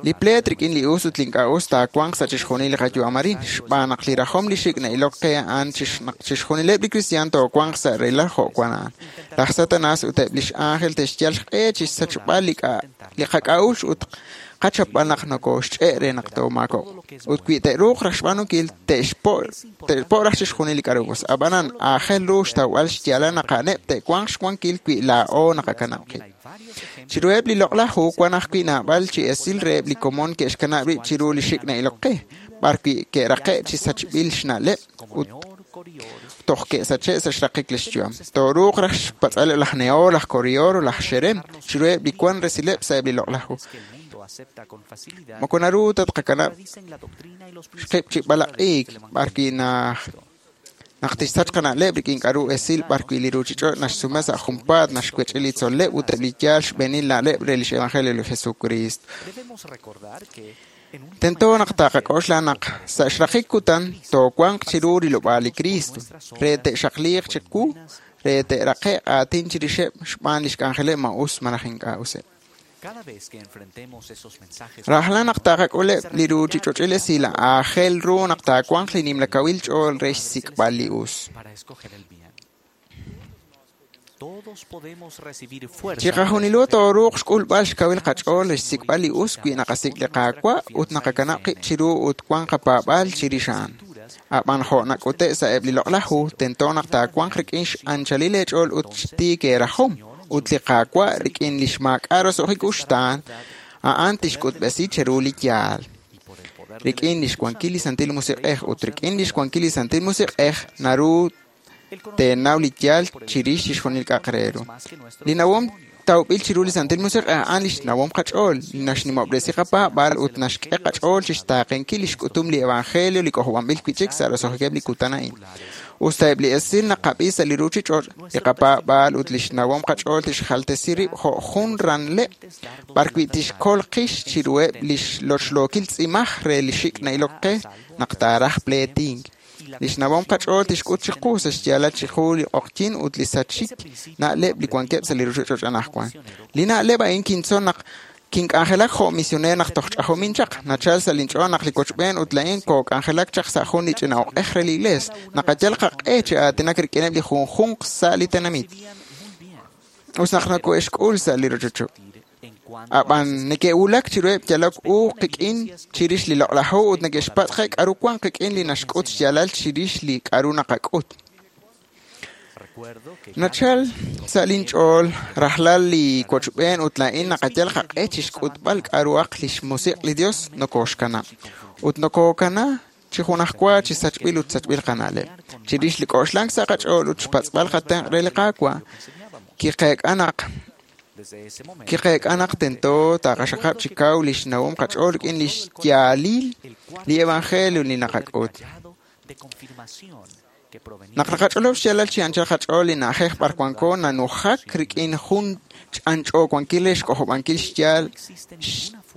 Li pleet rik'in li us ut li ink'a' us taawanq sa' chixjunil li qayu'am arin, xb'aan naq li rajom li xik' na'ilok qe a'an naq chixjunileb' li kristiaan toowanq sa' rahilal jo' wan a'an. Laj Satanas ut eb' lix ángel te'xyal xq'e chixsachb'al li qak'a'uxl ut qachapb'al naq nokoxch'e' re naq toomaakob'q. Ut wi te'ruuq raj xb'aanunkil, te'xpo' raj chixjunil li k'a'ru us. Ab'anan, aajel ru xtawb'al xyaalal naq a'aneb' te'wanq xwankil wi laa'o naqakanab' qib'. Chiruheb' li loq'laj hu wan ajwi' naab'al chi esil reheb' li komon ke'xkanab' rib' chiru li xik' na'ilok qe, b'ar wi' ke'raqe' chi sachb'il xna'leb' ut toj ke'sache' sa' xraqik lix yu'am. Tooruuq raj xpatz'aleb' laj Nehor, laj Korior, laj Xerem, chiruheb' li wan resileb' sa'eb' li loq'laj hu. Moko naru ta tqakanab' xqib' chi b'alaq'iik b'ar wi' naq tixsach qana'leb' rik'in k'a'ru esil b'ar wi' li ruuchich'och' naxsume sa' junpaat naxwech'i li tzol'leb' ut eb' li yaal xb'eenil na'leb' re lix evangelio li Jesucristo. Tento naq taqak'oxla naq sa' xraqik kutan toowanq chiru rilob'aal li Cristo re te'xaqliiq chiqu re te'raqe'q aatin chirixeb' xb'aan lix k'anjeleb' ma us malaj ink'a' useb'. Rajlal naq taqak'uleb' li ruuchich'och'il esil aajel ru naq taawanq li nimla kawil ch'ool re xsik'b'al li us. Chiqajunilo tooruuq xk'ulb'al xkawil qach'ool re xsik'b'al li us wi naqasik' li Qaawa' ut naqakanab' qib' chiru ut wan qapaab'aal chirix a'an. Ab'an jo' nak'ute' sa'eb' li loq'laj hu, tento naq taawanq rik'in x'anchalil eech'ool ut xtiik eerajom ut li Qaawa' rik'in li xmaak'a' roso'jik uxtaan, a'an tixk'utb'esi cheru li yaal. Rik'in lix wankil li Santil Musiq'ej ut rik'in lix wankil li Santil Musiq'ej naru teenaw li yaal chirix chixjunil k'a'aq re ru. Li nawom tawb'il chiru li Santil Musiq'ej a'an lix nawom qach'ool, li naxnimob'resi qapaab'aal ut naxk'e qach'ool chixtaaqenkil lix k'utum li evangelio li k'ojob'anb'il wi'chik sa' roso'jikeb' li kutan a'in. Us ta eb' li esil naqab'i sa' li ruuchich'och', li qapaab'aal ut lix nawom qach'ool tixjaltesi rib' jo' jun ranleb' b'ar wi' tixkol qix chiruheb' lix lochlookil tz'imaj re li xik' na'ilok qe naq taaraj pleetink. Lix nawom qach'ool tixk'ut chiqu sa' xyaalal chiqu li q'oqyin ut li sachik na'leb' li wankeb' sa' li ruuchich'och' anaqwan. Li na'leb' a'in kintzol naq kink'anjelak jo' misioneer naq toj ch'ajomin chaq. Nachal sa' linch'ool naq li wochb'een ut laa'in kook'anjelak chaq sa' jun li ch'ina oq'ej re li iglees. Naqayal qaq'e chi aatinak rik'ineb' li junjunq sa' li tenamit. Us naq noko'exk'ul sa' li rochocheb'. Ab'an neke'wulak chiruheb' yalok u qik'in chirix li loq'laj hu ut neke'xpatz' qe k'a'ru wan qik'in li naxk'ut xyaalal chirix li k'a'ru naqak'ut. Nachal sa' linch'ool rajlal li wochb'een ut laa'in naqayal qaq'e chixk'utb'al k'a'ruhaq lix musiq' li Dios nokoxkanab'. Ut nokokana chi junajwa chi sachb'il ut sachb'il qana'leb'. Chirix li k'oxlank sa' qach'ool ut xpatz'b'al qatenq' re li Qaawa', kiqeek'a naq tento taqaxaqab' chi kaw lix nawom qach'ool rik'in lix yaalil li evangelio li naqak'ut. Naq naqach'olob' xyaalal chi anchal qach'ool li na'ajej b'ar wanko nanujak rik'in jun ch'anch'o wankil re xk'ojob'ankil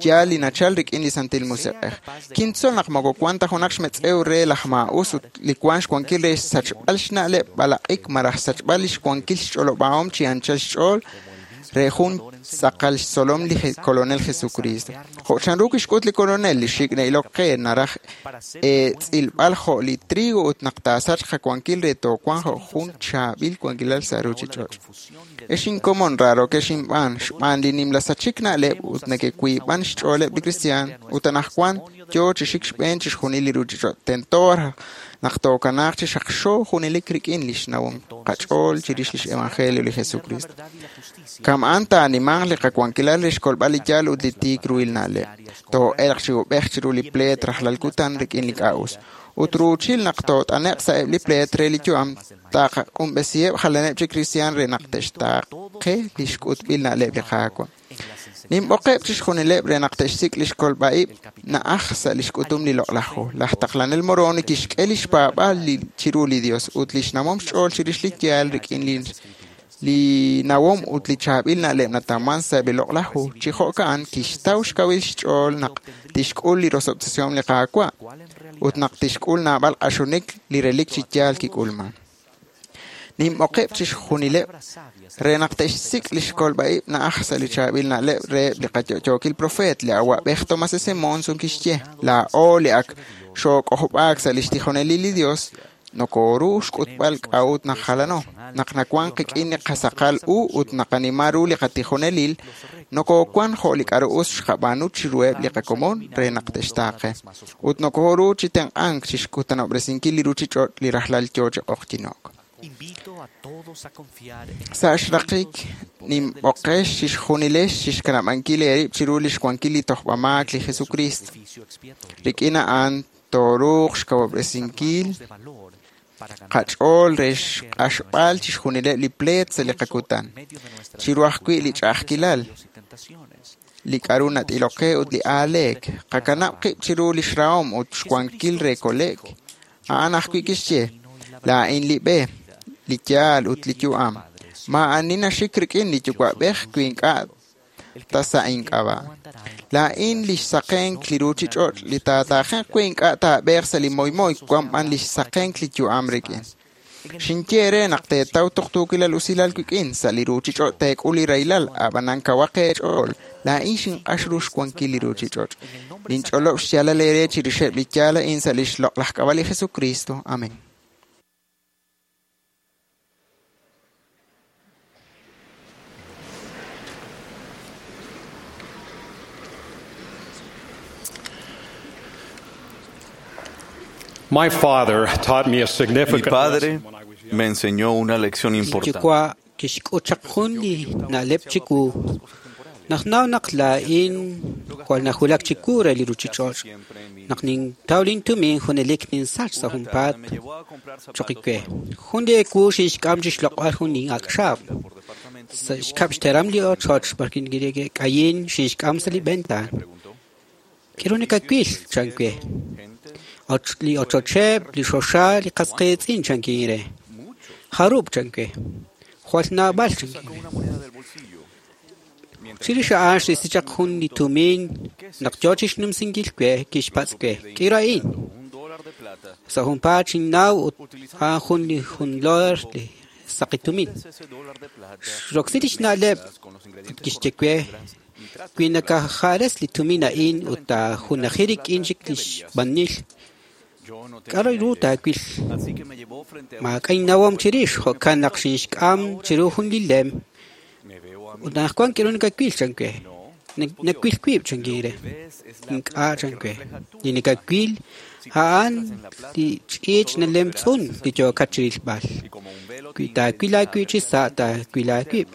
xyaal li nachal rik'in li Santil Musiq'ej. Kintzol naq moko wan ta junaq xmetz'ew re laj maa'us ut li wan xwankil re xsachb'al xna'leb' b'alaq'ik malaj xsachb'al lix wankil xch'olob'ahom chi anchal xch'ool re jun tz'aqal xtzolom li Kolonel Jesucristo. Jo' chanru kixk'ut li Kolonel li xik' na'ilok qe naraj tz'ilb'al jo' li trigo ut naq taasachq qawankil re toowanq jo' jun chaab'il wankilal sa' ruuchich'och'. Ex inkomon raarokex inb'aan xb'aan li nimla sachik na'leb' ut neke'wiib'an xch'ooleb' li kristiaan ut anaqwan yoo chi xik xb'een chixjunil li ruuchich'och'. Tento naq tookanaaq chi xaqxo junelik rik'in lix nawom qach'ool chirix lix evangelio li Jesucristo. Kama'an taanimanq li qawankilal re xkolb'al li yaal ut li tiik ruhil na'leb'. Too'elq chi ub'ej chiru li pleet rajlal kutan rik'in li k'a'us. Ut ruuchil naq toot'ane'q sa'eb' li pleet re li yu'am, taqaq'unb'esiheb' jalaneb' chik kristiaan re naq te'xtaaqe li xk'utb'il na'leb' li Qaawa'. Ninb'oqeb' chixjunileb' re naq te'xsik' lix kolb'a'ib' na'aj sa' lix k'utum li loq'laj hu. Laj taqlanel Moroni kixk'e lix paab'aal chiru li Dios ut lix nawom xch'ool chirix li yaal rik'in li nawom ut li chaab'il na'leb' natawman sa'eb' li loq'laj hu. Chi jo'ka'an kixtaw xkawil xch'ool naq tixk'ul li rosob'tesihom li Qaawa' ut naq tixk'ul naab'al q'axonik li relik chi yaal kik'ulman. Ninb'oqeb' chixjunileb' re naq te'xsik' lix kolb'a'ib' na'aj sa' li chaab'il na'leb' reheb' li qayo'yookil profeet li awa'b'ej Thomas S. Monson kixye, laa'o li ak xook'ojob'aak sa' lix tijonelil li Dios, nokoru xk'utb'al k'a'ut naq jalano, naq nawan qik'in li qasaqal u ut naqanima ru li qatijonelil, nokowan jo' li k'a'ru us xqab'aanu chiruheb' li qakomon re naq te'xtaaqe. Ut nokoru chi tenq'ank chixkutanob'resinkil li ruchich'och' li rajlal yoo chi q'oqyino'k. Sa' xraqik ninb'oqex chixjunilex chixkanab'ankil eerib' chiru lix wankil li tojb'amaak li Jesucristo. Rik'in a'an tooruuq xkawob'resinkil qach'ool re xq'axb'al chixjunileb' li pleet sa' li qakutan, chiru ajwi' li ch'a'ajkilal, li k'a'ru nat'ilok qe ut li aaleek. Qakanab' qib' chiru lix rahom ut xwankil re kole'k. A'an ajwi' kixye, laa'in li b'e, li yaal ut li yu'am. Maa'ani naxik rik'in li yuwa'b'ej wi ink'a' ta sa' ink'ab'a'. Laa'in lix saqenk li ruuchich'och' li taataajenq wi ink'a' taab'eeq sa' li moymoy wan b'an lix saqenk li yu'am rik'in. Xinye eere naq teetaw tuqtuukilal usilal wik'in sa' li ruuchich'och' teek'ul li rahilal, ab'anan kawaq eech'ool. Laa'in xinq'ax ru xwankil li ruuchich'och'. Ninch'olob' xyaalal eere chirixeb' li yaal a'in sa' lix loq'laj k'ab'a' li Jesucristo. Amén. My father taught me a Mi significant padre lesson when I was young. me enseñó una lección importante. Yuwa' kixk'ut chaq jun li na'leb' chiwu. Naq naw naq laa'in jwal najulak chiwu re li ruuchich'och'. Naq nintaw lintumin junelik ninsach sa' junpaat choq we. Jun li ewu xinxk'am chixloq'b'al jun li ak' xaab'. Sa' xkab' xteram li ochoch b'ar k'ayin xinxk'am sa' li ventaan. K'aru nakawil chan we. Li ochocheb', li xoxa, li qas qiitz'in chankin re. Jarub' chan we. Jwal naab'al chankin re. Chirix a'an xrisi chaq jun li tumin naq yoo chixnumsinkil we kixpatz' we. K'aru a'in? Sa' junpaat xinnaw ut a'an jun li jun dólar li saqi tumin. Xroksi lix na'leb' ut kixye we wi nakaja'res li tumin a'in ut taajunaji rik'in chik lix b'anil. K'aru ru taawil? Maak'a' innawom chirix, jo'kan naq xinxk'am chiru jun li lem. Ut anaqwan k'aru nakawil chan we. Nawil wib' chankin re. Ink'a' chan we. Li nakawil a'an li ch'iich' nalemtz'un li yookat chirilb'al. Wi taawil aawib' chi sa' taawil aawib'.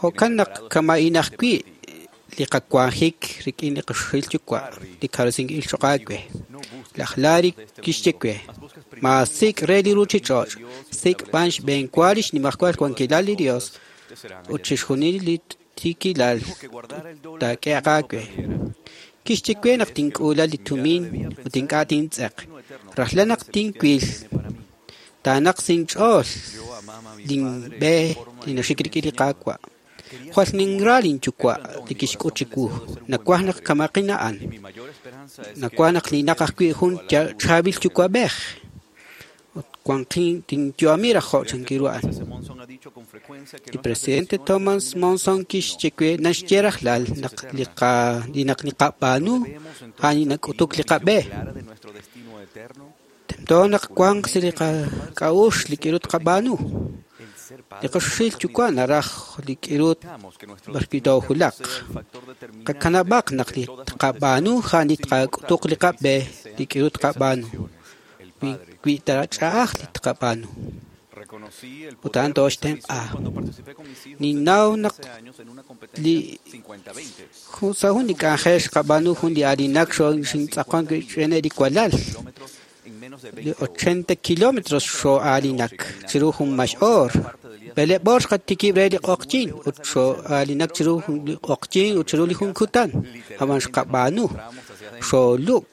Jo'kan naq kama'in ajwi' li qawanjik rik'in li qaxil yuwa' li kawresinkil choq' aawe. Laj Larry kixye we, maasik' re li ruuchich'och', sik' b'an xb'eenwa li xnimajwal wankilal li Dios ut chixjunil li tiikilal taak'ehaq aawe. Kixye we naq tink'uula li tumin ut ink'a' tintz'eq. Rajlal naq tinwil Taanaq sinch'ool linb'e li naxik rik'in li Qaawa'. Jwal ninra linyuwa' li kixk'ut chiwu. Nawaj naq kamaqin a'an. Nawaj naq linaq ajwi' jun chaab'il yuwa'b'ej. Ut wanqin tinyu'ami raj jo' chankiru a'an. Li presidente Thomas Monson kixye we naxye rajlal naq li naq niqab'aanu a'an li nak'utuk li qab'e. Tento naq wanq sa' li qak'a'uxl li k'irut qab'aanu. Li qaxuxil yuwa' naraj li k'irut b'arwi' toojulaq. Qakanab'aq naq li tqab'aanu a'an li tqak'utuq li qab'e li k'irut qab'aanu. Wi ch'a'aj li tqab'aanu. Ut a'an tooxtenq'a. Ninnaw naq li sa' jun li k'anjel xqab'aanu jun li aalinak xintz'aqon rik'ineb' li walal. Li 80 kilómetros xoo'aalinak chiru jun max'oor. B'eleeb' oor xqatikib' re li q'oqyin ut xoo'aalinak chiru jun li q'oqyin ut chiru li jun kutan. Ab'an xqab'aanu xoolub'.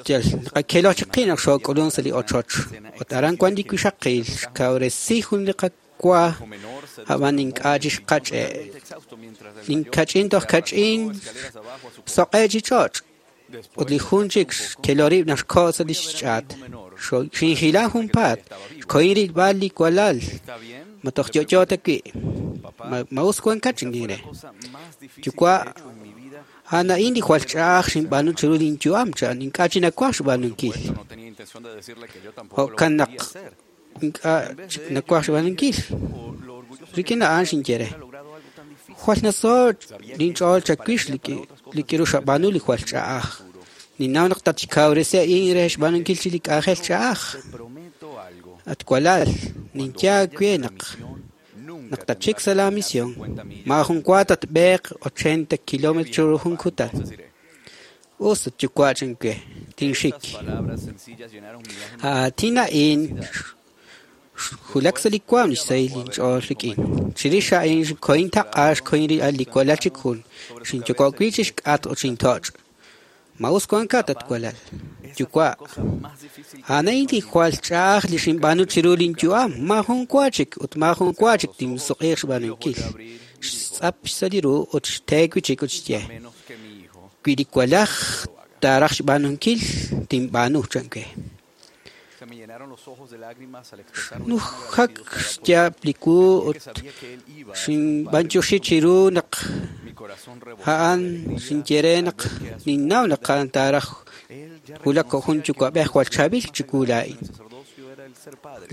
Yal naqakeloj chiqi naq xook'ulun sa' li ochoch. Ut aran wan li wixaqil xkawresi jun li qawa ab'an ink'a' chi xqach'e'. Linkach'in toj kach'in soq'e' chi ch'och'. Ut li jun chik xkelorib' naq xko' sa' li xch'aat. Xinjilan junpaat. Xkohin rilb'al li walal. Ma toj yo'yo ta wi'. Ma us wankat chinkin re. Yuwa' a'an a'in li jwal ch'a'aj xinb'aanu chiru linyu'am chan ink'a' chi nawaj xb'aanunkil. Jo'kan naq ink'a' chik nawaj xb'aanunkil. Rik'in a'an xinye re. Jwal nasoch' linch'ool chawix li k'iru xab'aanu li jwal ch'a'aj. Ninnaw naq tatxkawresi a'in re xb'aanunkil chi li k'anjel ch'a'aj. At walal, ninye aawe naq tatxik sa' la misión. Maajun wa tatb'eeq 80 kilómetros chiru jun kutan. Us at yuwa' chan we, tinxik. Aatin a'in xwulak sa' li waam li xsahil linch'ool rik'in. Chirix a'in xkohin taq'a xkohin rilb'al li walal chik jun. Xinyoko' wi' chi xk'atq ut xintoch'. Ma us wankat at walal. Yuwa', a'an a'in li jwal ch'a'aj li xinb'aanu chiru linyu'am. Maajun wa chik ut maajun wa chik tinsuq'iiq xb'aanunkil. Xtz'ap sa' li ru ut xteek wi' chik ut xye. Wi li walaj taaraj xb'aanunkil, tinb'aanu chan we. Nujak xyaab' li wu ut xinb'antioxi chiru naq a'an xinye re naq ninnaw naq a'an taaraj wulak jo' jun yuwa'b'ej jwal chaab'il chiwu laa'in.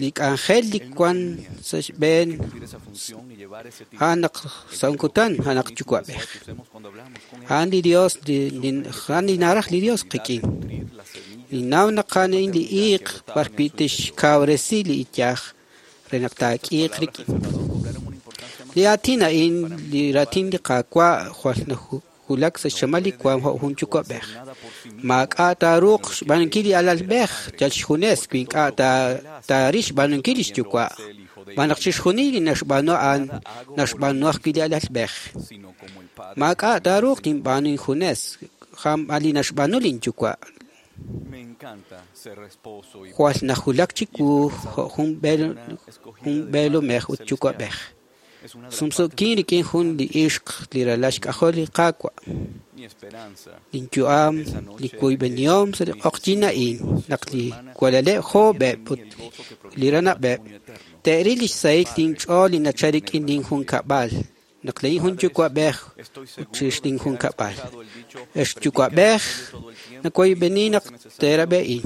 Li k'anjel li wan sa' xb'een a'an naq sa' jun kutan a'an naq yuwa'b'ej. A'an li Dios a'an li naraj li Dios qik'in. Ninnaw naq a'an a'in li iiq b'arwi' tixkawresi li iyaj re naq taak'iiq rik'in. Li aatin a'in li raatin li Qaawa' jwal nawulak sa' xchamal li waam jo' jun yuwa'b'ej. Maak'a' taaruuq xb'aanunkil li alalb'ej yal xjunes wi ink'a' taaril xb'aanunkil li xyuwa'. Xb'aan naq chixjunil li naxb'aanu a'an naxb'aanu ajwi' li alalb'ej. Maak'a' taaruuq tinb'aanu injunes jamb'al li naxb'aanu linyuwa'. Jwal nawulak chiwu jo' jun b'eelomej ut yuwa'b'ej. Sumsu'kin rik'in jun li ixq li ralal xk'ajol li Qaawa'. Linyu'am li woyb'enihom sa' li q'oqyin a'in naq li walaleb' joob'eb' ut li ranab'eb' te'ril li xsahil linch'ool li nachal rik'in linjunkab'al. Naq laa'in jun yuwa'b'ej ut chirix linjunkab'al. Ex yuwa'b'ej nawoyb'eni naq teerab'e'in.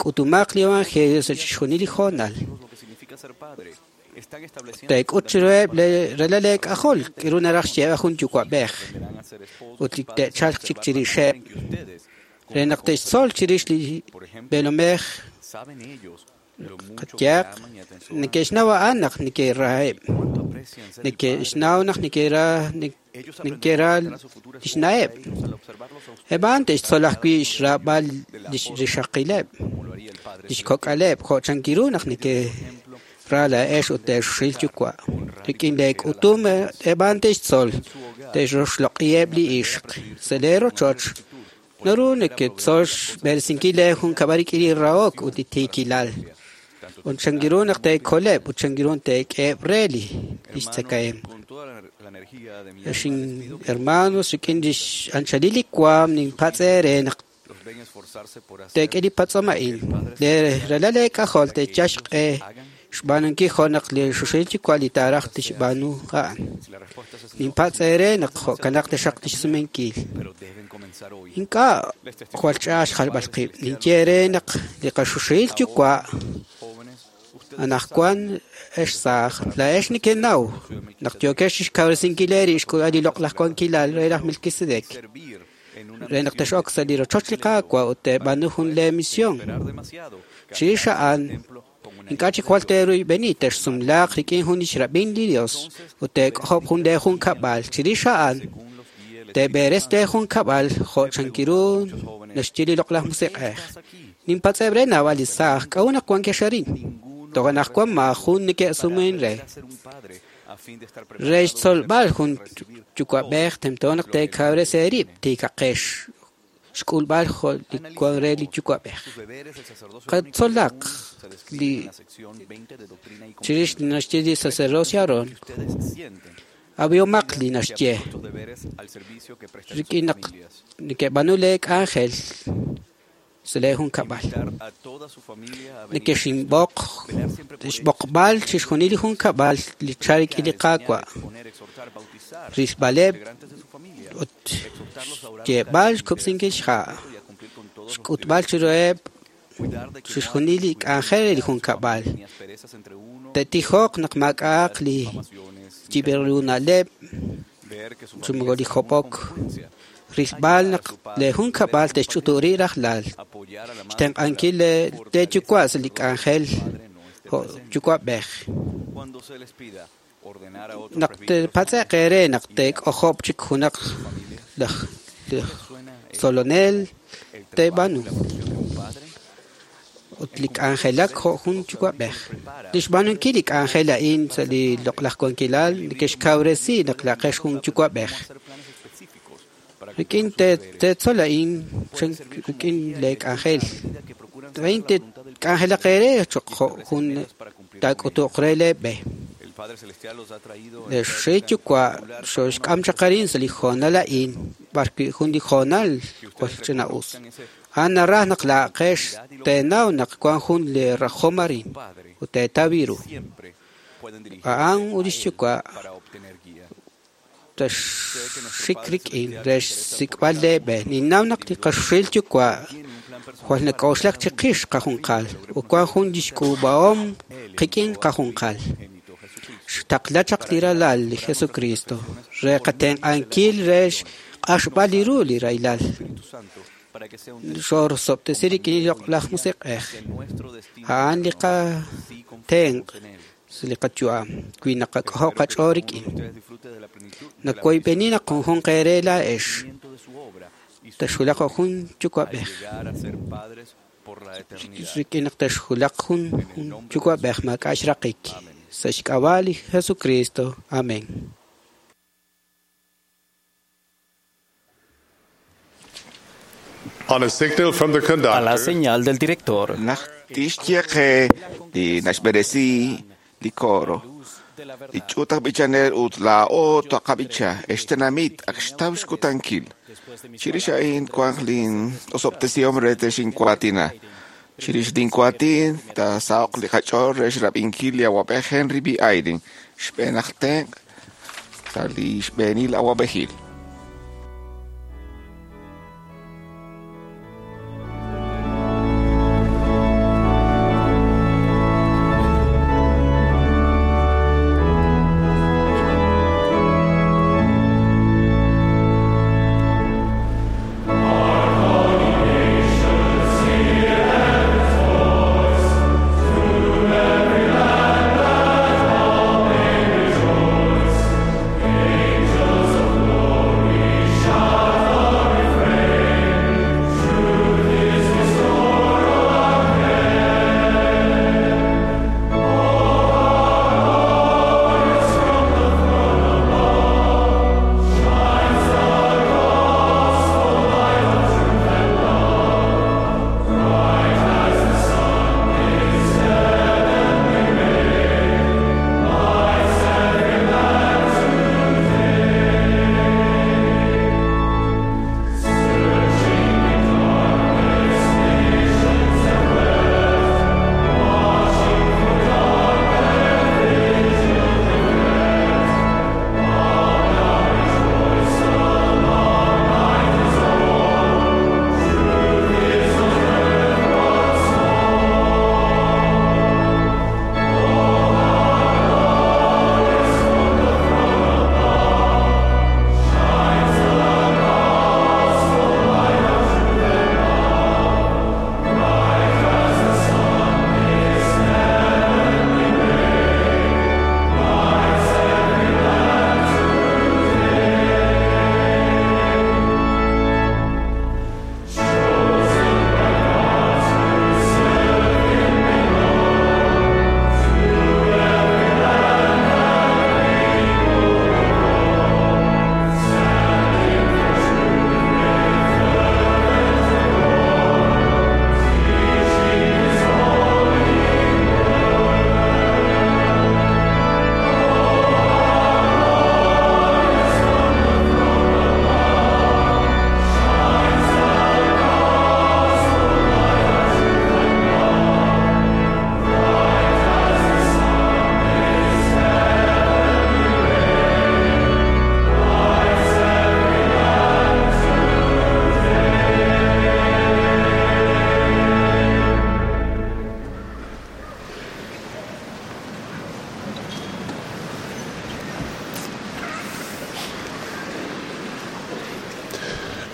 K'utumaq li evangelio sa' chixjunil li hoonal. Teek'ut chiruheb' ralal eek'ajol k'iru naraj xyeeb'al jun yuwa'b'ej ut li te'chalq chik chirixeb' re naq te'xtzol chirix li b'eelomej qatyaq neke'xnaw a'an naq neke'raheb', neke'xnaw naq neke'ra lix na'eb'. Eb' a'an te'xtzol ajwi' xraab'al lix rixaqileb', lix kok'aleb' jo' chankiru naq neke'ra laa'ex ut te'xxil yuwa'. Rik'in leek'utum eb' a'an te'xtzol, te'roxloq'iheb' li ixq. Sa' lee rochoch naru neketzol xb'eresinkil lee junkab'al rik'in li rahok ut li tiikilal. Ut chankiru naq teekoleb' ut chankiru teek'eheb' re li xtzakahemq. Ex hermanos, rik'in lix anchalil li waam ninpatz' eere naq teek'e li patz'om a'in. Lee ralal eek'ajol te'yal xq'e xb'aanunkil jo' naq li xuxil yuwa' li taaraj tixb'aanu a'an. Ninpatz' eere naq jo'kanaq taxaq lix sumenkil. Ink'a' jwal ch'a'aj xjalb'al qib'. Ninye eere naq li qaxuxil yuwa' anaqwan ex saaj, laa'ex nekenaw naq yookex chixkawresinkil eerib' xk'ulb'al li loq'laj wankilal re laj Melquisedec re naq tex'ok sa' li rochoch li Qaawa' ut teeb'aanu jun lee misión. Chirix a'an, ink'a' chik jwal teeruyb'eni texsumlaaq rik'in jun lix rab'in li Dios ut teek'ojob' jun lee junkab'al. Chirix a'an, teeb'eres lee junkab'al jo' chankiru naxye li loq'laj musiq'ej. Ninpatz'eb' re naab'al li saaj k'a'ut naq wankex arin. Toj anaqwan maajun neke'sumen re. Re xtzolb'al jun yuwa'b'ej tento naq teekawres eerib' tiikaqex xk'ulb'al jo' li wan re li yuwa'b'ej. Qatzolaq li chirix li naxye li sacerdocio Aarón. Ab'ihomaq li naxye. Rik'in naq neke'b'aanu lee k'anjel sa' lee junkab'al. Nekexinb'oq xb'oqb'al chixjunil li junkab'al li chal rik'in li Qaawa'. Rilb'aleb' ut xyeeb'al xkub'sinkil xha'. Xk'utb'al chiruheb' chixjunil li k'anjel re li junkab'al. Te'tijoq naq maak'a'aq li yib'ru na'leb' chi moko li job'ok. Rilb'al naq lee junkab'al te'xch'uturi rajlal. Xtenq'ankil lee yuwa' sa' li k'anjel jo' yuwa'b'ej. Naq te'patz'e'q eere naq teek'ojob' chik junaq laj tzolonel teeb'aanu. Ut li k'anjelak jo' jun yuwa'b'ej. Li xb'aanunkil li k'anjel a'in sa' li loq'laj wankilal neke'xkawresi naq laqex jun yuwa'b'ej. Rik'in teetzol a'in rik'in lee k'anjel. A'in k'anjelaq eere cho'q jo' jun taak'utuq re lee b'e. Le xuxil yuwa' xoxk'am chaq arin sa' li hoonal a'in b'arwi' jun li hoonal jwal ch'ina'us. A'an naraj naq laa'aqex teenaw naq wan jun li rajom arin ut teetaw ru. A'an ut lix yuwa' texxik rik'in re xsik'b'al lee b'e. Ninnaw naq li qaxuxil yuwa' jwal nak'oxlak chiqix qajunqal ut wan jun lix k'uub'ahom qik'in qajunqal. Xtaqla chaq li ralal li Jesucristo re qatenq'ankil re xq'axb'al li ru li rahilal. Xorsob'tesi rik'in li loq'laj musiq'ej. A'an li qatenq' sa' li qayu'am wi naqak'ojob' qach'ool rik'in. Nakoyb'eni naq junjunq eere laa'ex texwulaq jo' jun yuwa'b'ej. Rik'in naq texwulaq jun yuwa'b'ej maak'a' xraqik. Sa' xk'ab'a' li Jesucristo. Amén. On a signal from the A la conductor, señal del director, Naq tixye qe li naxb'eresi li coro. Li ch'uut aj b'ichanel ut laa'o taqab'icha extenamit ak xtaw xkutankil. Chirix a'in wanq lin osob'tesihom re texinkuatina. Chirix linkuatin taasaho'q li qach'ool re xrab'inkil li awab'ej Henry B. Eyring, xb'een aj tenq' sa' li xb'eenil awab'ejil. Angels of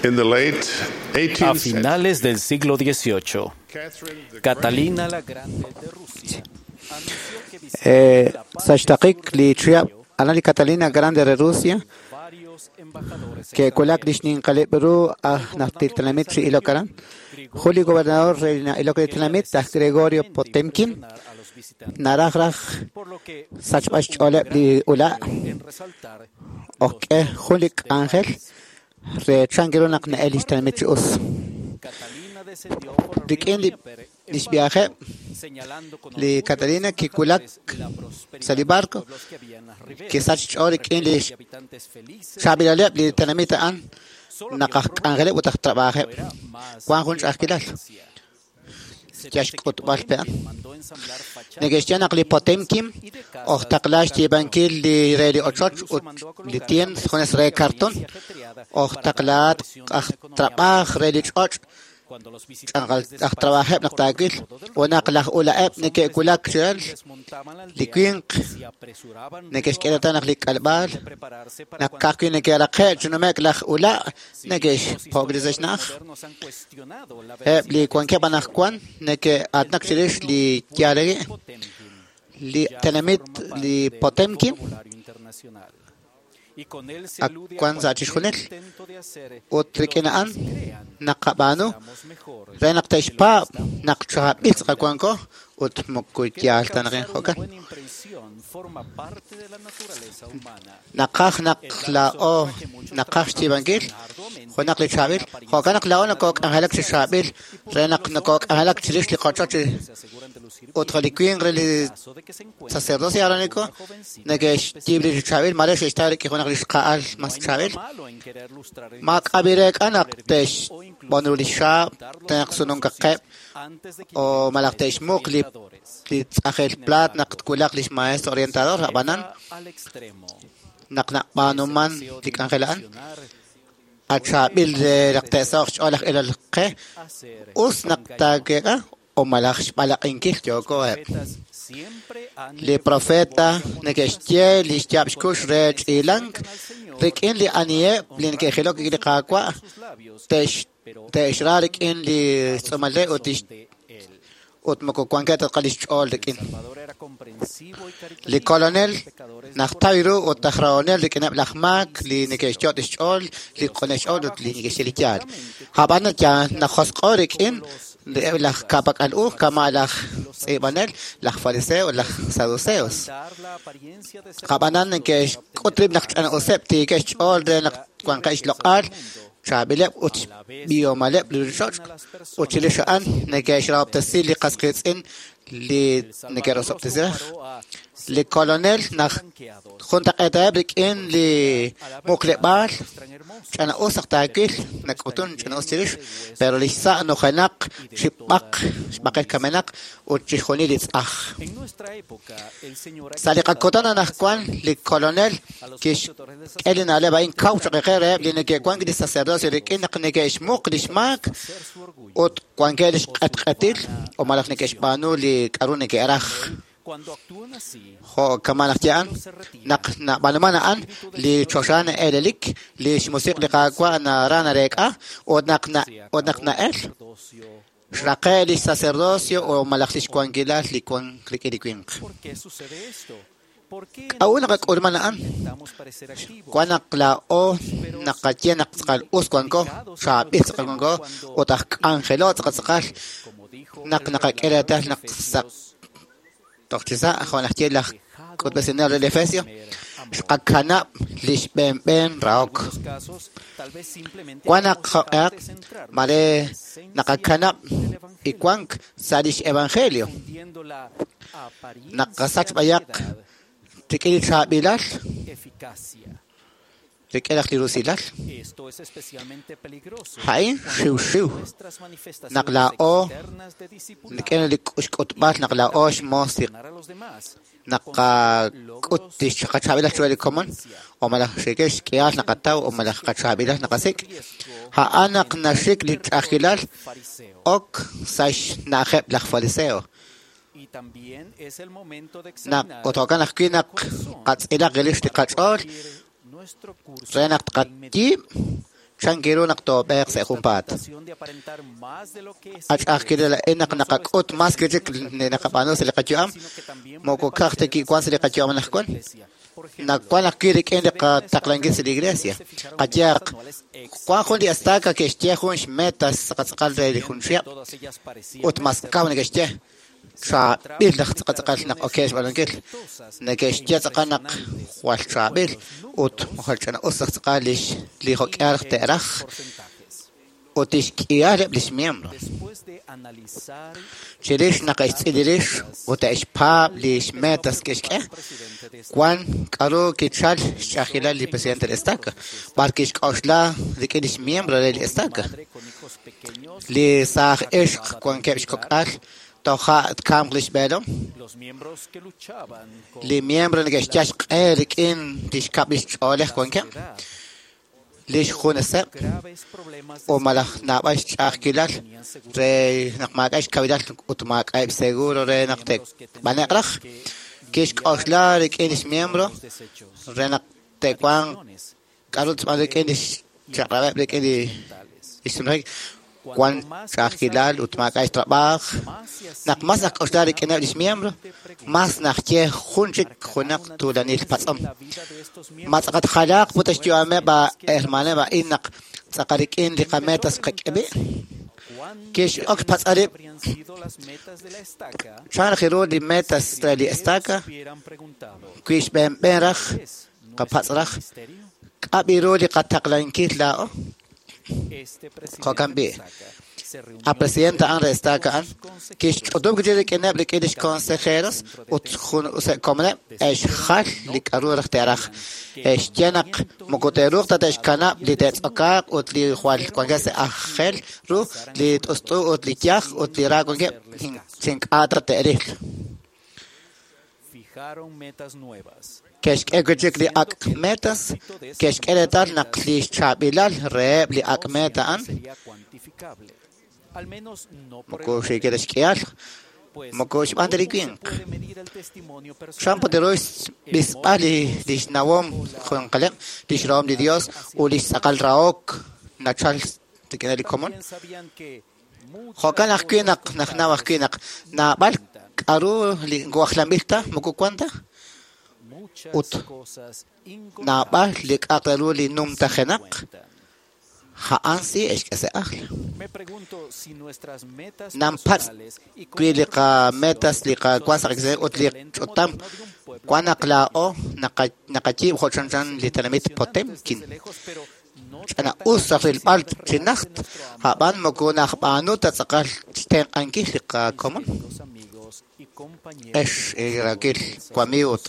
In the late A 18th finales del siglo XVIII, Catalina la Grande de Rusia Sa' xtaqik li chihab' aran li Catalina Grande de Rusia ke'wulak li xninqaleb' ru aj najtil tenamit chi ilok aran. Jun li gobernador re ilok li tenamit aj Gregorio Potemkin naraj raj sachb'al xch'ooleb' li ula' ojk'e jun li k'anjel re chan ru naq na'el li xtenamit chi us. Rik'in li xviajeb' li Catalina kiwulak sa' li barco kisach xch'ool rik'in li xchaab'ilaleb' li tenamit a'an naq aj k'anjeleb' ut aj trabajeb' wan jun ch'a'ajkilal yal xk'utb'al pe a'an. Neke'xye naq li Potemkin ojtaqla xyiib'ankil li re li ochoch ut li tiend junes re cartón ojtaqlaat aj trab'aj re li ch'och' aj trabajeb' naq taawil ut naq laj ula'eb' neke'wulak chiral li winq neke'xk'e reetal naq li k'alb'aal naq ka'ajwi' neke'raqe' chi nume'k laj ula' neke'xpo'ok sa' xna'aj. Eb' li wankeb' anaqwan neke'aatinak chirix li yaal a'in. Li tenamit li Potemkin ak wan sa' chixjunil ut rik'in a'an naqab'aanu re naq te'xpaab' naq chaab'il tz'aqal wanko ut moko yaal ta naq jo'kan. Naqaj naq laa'o naqaj xyiib'ankil junaq li chaab'il jo'kan naq laa'o nokok'anjelak chi chaab'il re naq nokok'anjelak chirix li qochoch ut li winq re li sacerdocio aarónico neke'xyiib' li chaab'il mare xe'xtaw rik'in junaq li xqa'al mas chaab'il. Maak'ab'ireek'a naq te'xb'on ru li xaab' tenaq sununkaqeb' o malaj te'xmuq li tz'ajel plaat naq twulaq li xmaestro orientador ab'anan naq nab'aanuman li k'anjel a'an achaab'il re naq te'saho'q xch'ool aj ilol qe us naq taaweek'a o malaj xb'alaq'inkil yookoheb'. Li profeta neke'xye li xyaab' xkux re ch'iilank rik'in li aniheb' li neke'jilok rik'in li Qaawa' te'xra rik'in li xtz'uumal re ut moko wankeb' ta li xch'ool rik'in. Li kolonel najtaw ru ut aj rahonel rik'ineb' laj maak li neke'xyot' xch'ool, li q'uneb' xch'ool ut li neke'xye li yaal. Ab'an najosq'o rik'in laj ka'pak'al u kama' laj tz'iib'anel, laj fariseo ut laj saduceos. Ab'anan neke'xk'ut rib' naq ch'ana'useb' tiikeb' xch'ool re naq wanqeb' xloq'al, chaab'ileb' ut xb'ihomaleb' li ruuchich'och' ut chirix a'an neke'xrahob'tesi li qas qiitz'in li neke'rosob'tesi raj. Li kolonel naq juntaq'eetaheb' rik'in li muqleb'aal ch'ana'us naq taawil nak'utun ch'ana'us chirix, pero li xsa' nujenaq chi b'aq xb'aqel kamenaq ut chixjunil li tz'aj. Sa' li qakutan anaqwan li kolonel kixk'e li na'leb' a'in kaw choq' qe reheb' li neke'wank li sacerdocio rik'in naq neke'xmuq li xmaak ut wankeb' li xq'etq'etil o malaj neke'xb'aanu li k'aru neke'raj. Jo' kama' naq ye a'an naq nab'aanuman a'an li choxa na'eelelik li xmusiq' li Qaawa' nara nareek'a ut naq na'el xraqe' li sacerdocio o malaj li xwankilal li wank rik'in li winq. K'a'ut naqak'ulman a'an? Wan naq laa'o naqaye naq tz'aqal us wanko, chaab'il tz'aqal wanko ut aj k'anjelo tz'aqal tz'aqal naq naqak'e reetal naq sa' toj chi sa' jo' naxye laj k'utb'esinel re Efesio xqakanab' li xb'eenb'een rahok. Wan naq jo'q'ehaq mare naqakanab' li wank sa' lix evangelio. Naqasach b'ayaq rik'in li chaab'ilal rik'in aj li rusilal. A'in xiwxiw naq laa'o rik'in li xk'utb'al naq laa'o xmoos li naqak'ut li qachaab'ilal chiru li komon o malaj rik'in xk'ihal naqataw o malaj qachaab'ilal naqasik'. A'an naq naxik li ch'a'ajkilal ok sa' xna'ajeb' laj fariseo. Naq ut jo'kan ajwi' naq qatz'ilaq rix li qach'ool re naq tqayiib' Chan kiru naq toob'eeq sa' junpaat. Ach'a'ajkilal a'in naq naqak'ut mas wi'chik li naqab'aanu sa' li qayu'am, moko ka'aj ta kiwan sa' li qayu'am anaqwan, nawan ajwi' rik'in li qataqlankil sa' li iglesia. Qayehaq, wan jun li estaca ke'xye jun xmetas tz'aqal re li jun chihab' ut mas kaw neke'xye chaab'il naq tz'aqal naq okeb' xb'aanunkil. Neke'xye tz'aqal naq jwal chaab'il ut jwal ch'ina-us naq tz'aqal li jo'k'ihal te'raj ut tixk'ihaleb' lix miembro. Chirix naq e'xtz'il rix ut e'xpaab' lix metas ke'xk'e, wan k'a'ru kichal xch'a'ajkilal li presidente de la estaca, b'ar kixk'oxla rik'in lix miembro re li estaca. Li saaj ixq wankeb' xkok'al toja' tkamq lix b'eelom. Li miembro neke'xyal xq'e rik'in lix kab' lix ch'oolej wankeb', lix juneseb' o malaj naab'al xch'a'ajkilal re naq maak'a' xkawilal ut maak'a'eb' seguro re naq te'b'ane'q raj. Kixk'oxla rik'in lix miembro re naq te'wanq k'a'ru tb'an rik'in lix chaq'rab'eb' rik'in lix sumlajik. Wan ch'a'ajkilal ut maak'a' xtrab'aaj. Naq mas nak'oxla rik'ineb' lix miembro, mas naxye jun chik junaq tuulanil patz'om. Ma tz'aqat jalaaq put xyu'ameb' hermaneb' a'in naq tz'aqal rik'in li qametas qak'ebi'? Kix'ok xpatz'a rib' chan raj ru li metas re li estaca, wi xb'eenb'een raj, qapatz' raj, k'ab'i ru li qataqlankil laa'o? Jo'kan b'i'. A presidente a'an re estaca a'an, kixch'utub' kichi rik'ineb' rik'in lix consejeros ut jun se'komoneb' e'xjal li k'a'ru raj te'raj. E'xye naq moko te'ruuq ta te'xkanab' li te'tz'okaaq ut li jwal wankeb' sa' ajel ru, li t'ust'u ut li yaj ut li ra wankeb' chink'a' ta te'ril. Ke'xk'e wi'chik li ak' metas, ke'xk'e reetal naq li xchaab'ilal reheb' li ak' meta a'an moko xiikil ta xk'ihal, moko xb'aan ta li winq. Chan put ru xb'isb'al lix nawom junqaleb', lix rahom li Dios ut lix tz'aqal rahok nachal rik'in li komon. Jo'kan ajwi' naq najnaw ajwi' naq naab'al k'a'ru li wajlanb'il ta moko wan ta ut naab'al li k'a'aq re ru li numtajenaq a'an si e'xk'e sa' ajl. Nanpatz' wi li qametas li qawan sa' qak'e ut li ch'utam wan naq laa'o naqayiib' jo' chanchan li tenamit Potemkin. Ch'ina-us raj rilb'al chi najt, a'b'an moko najb'aanu ta tz'aqal xtenq'ankil li qakomon. Ex irakil wamiiw ut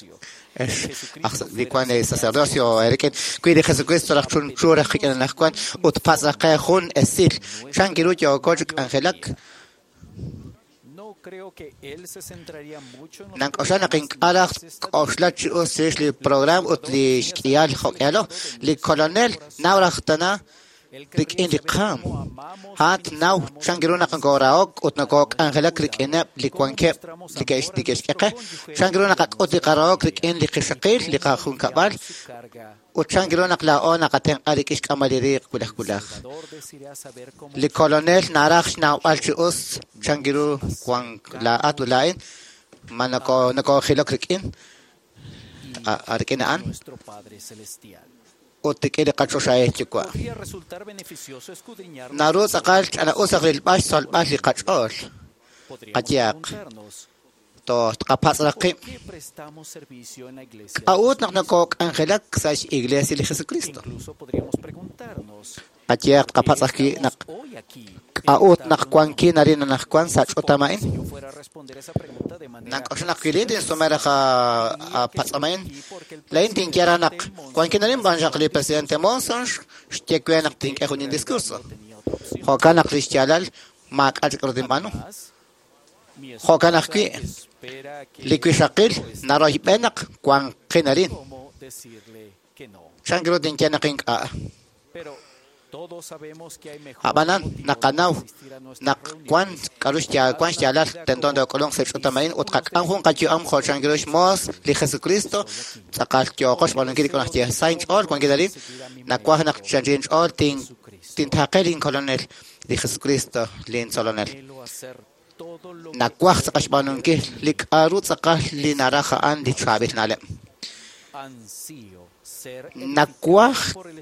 ex li wan sacerdocio rik'in wi li Jesucristo raj chunchu raj qik'in anaqwan ut patz' raj qe jun esil chan kiru yooko chi k'anjelak. Nank'oxla naq ink'a' raj k'oxla chi us chirix li program ut li xk'ihal jo'k'ihalo. Li kolonel naw raj tana rik'in li qaam. A'an naw chan kiru naq nokoorahok ut nokook'anjelak rik'ineb' li wankeb' li ke'xk'e qe. Chan kiru naqak'ut li qarahok rik'in li qixaqil, li qajunkab'al, ut chan kiru naq laa'o naqatenq'a rik'in xk'amb'al li riiq wulaj wulaj. Li kolonel naraj xnawb'al chi us chan kiru wan laa'at ut laa'in ma nokoojilok rik'in rik'in a'an ut rik'in li qachoxahil yuwa'. Naru tz'aqal ch'ina-us raj rilb'al xtzolb'al li qach'ool. Qayehaq, tqapatz' raj qib'. K'a'ut naq nokook'anjelak sa' x'iglesia li Jesucristo? Qayehaq, tqapatz' ajwi' naq k'a'ut naq wankin arin anaqwan sa' ch'utam a'in? Nank'oxla naq wi lin tinsume raj patz'om a'in, laa'in tinye raj naq wankin arin b'an xaq li presidente Monson xye we naq tink'e jun indiscurso. Jo'kan naq li xyaalal maak'a' chik k'a'ru tinb'aanu. Jo'kan ajwi' li wixaqil naroyb'e naq wanqin arin. Chan kiru tinye naq ink'a'. Ab'anan naqanaw naq wan k'aru wan xyaalal tento took'ulunq sa' ch'utam a'in ut qak'am jun qayu'am jo' chan ru xmoos li Jesucristo tz'aqal yooqo xb'aanunkil li k'anjel xye. Sa' inch'ool wankil arin nawaj naq chan inch'ool tintaaqe linkolonel li Jesucristo lintzolonel. Nawaj tz'aqal xb'aanunkil li k'aru tz'aqal li naraj a'an li chaab'il na'leb'. Nawaj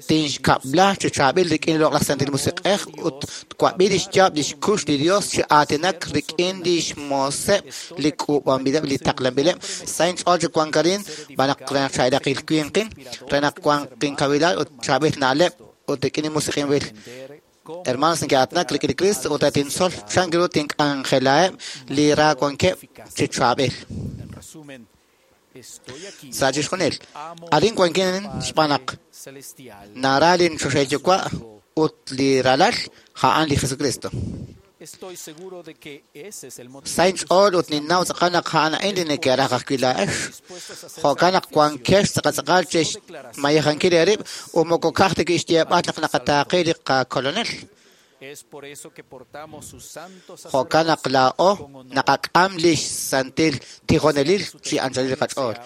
tinxkab'la chi chaab'il rik'in li Loq'laj Santil Musiq'ej ut twab'i li xyaab' li xkux li Dios chi aatinak rik'in li xmooseb' li k'uub'anb'ileb' li taqlanb'ileb'. Sa' inch'ool chi wank arin b'an naq re naq chaab'ilaqil winqin, re naq wanq inkawilal ut chaab'il na'leb' ut rik'in li musiq'inb'il. Hermanos neke'aatinak rik'in li Cristo ut tintzol chan ru tink'anjelaheb' li ra wankeb' chi chaab'il. Sa' chixjunil, arin wankin xb'aan naq nara linchoxahil Yuwa' ut li ralal a'an li Jesucristo. Sa' inch'ool ut ninnaw tz'aqal naq a'an a'in li neke'raj ajwi' laa'ex. Jo'kan naq wankex tz'aqal chi xmayejankil eerib' ut moko ka'aj ta kixyeeb'al naq naqataaqe li qakolonel. Jo'kan naq laa'o naqak'am li xsantil tijonelil chi anchalil li qach'ool.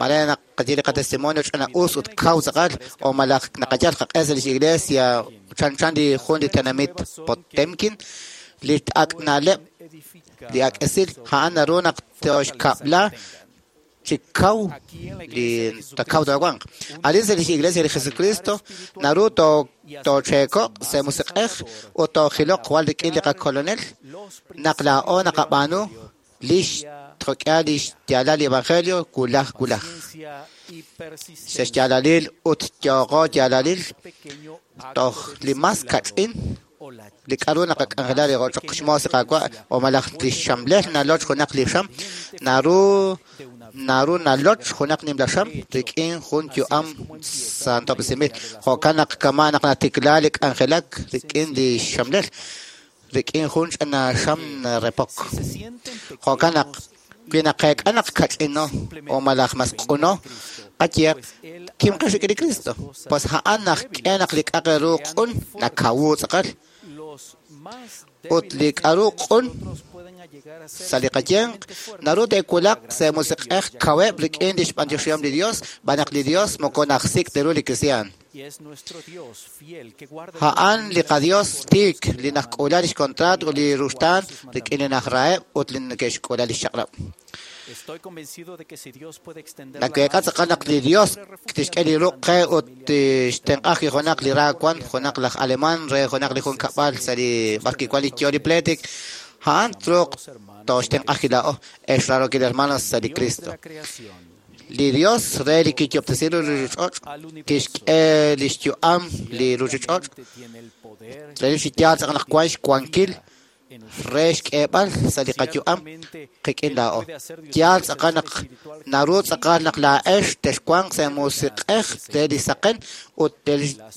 Mare naq qaye li qatestimonio ch'ina us ut kaw tz'aqal o malaj naqayal qaq'e sa' lix iglesia chanchan li jun li tenamit Potemkin li ak' na'leb' li ak' esil a'an naru naq toxkab'la chi kaw li takaw taawanq. Arin sa' lix iglesia li Jesucristo naru toocheekoq sa' musiq'ej ut toojiloq jwal rik'in li qakolonel naq laa'o naqab'aanu lix tjok'ea lix yaalal li evangelio wulaj wulaj. Sa' xyaalalil ut yooqo yaalalil toj li mas kach'in li k'aru naqak'anjela li rochoq xmoos li Qaawa' o malaj li xxamlel naloch junaq li xam naru naloch junaq nimla xam rik'in jun yu'am santob'resinb'il. Jo'kan naq kama' naq natikla li k'anjelak rik'in li xxamlel rik'in jun ch'ina xam repok. Jo'kan naq wi naqeek'a naq kach'ino o malaj mas q'uno qayeq kimqex rik'in li Cristo. Pues a'an naq k'e naq li k'aq ru q'un nakawu tz'aqal ut li k'aru q'un sa' li qayenq naru te'wulaq sa' musiq'ej kaweb' rik'in li xb'antioxihom li Dios b'an naq li Dios moko najsik' ta ru li kristiaan. A'an li qaDios tiik li najk'uula lix contrato ut li ruxtaan rik'in li najraheb' ut li neke'xk'uula lix chaq'rab'. Nakeek'a tz'aqal naq li Dios tixk'e li ruq' qe ut tixtenq'aj junaq li ra wan junaq laj alemán re junaq li junkab'al sa' li b'ar kiwan li yo li pleetik a'an truuq toxtenq'aj laa'o ex raarokil hermanos sa' li Cristo. Li Dios re li kiyob'tesi li ruchich'och' kixk'e li xyu'am li ruchich'och' re li xyaal tz'aqal naq wan xwankil re xk'eeb'al sa' li qayu'am qik'in laa'o. Yaal tz'aqal naq naru tz'aqal naq laa'ex texwanq sa' musiq'ej re li saqen ut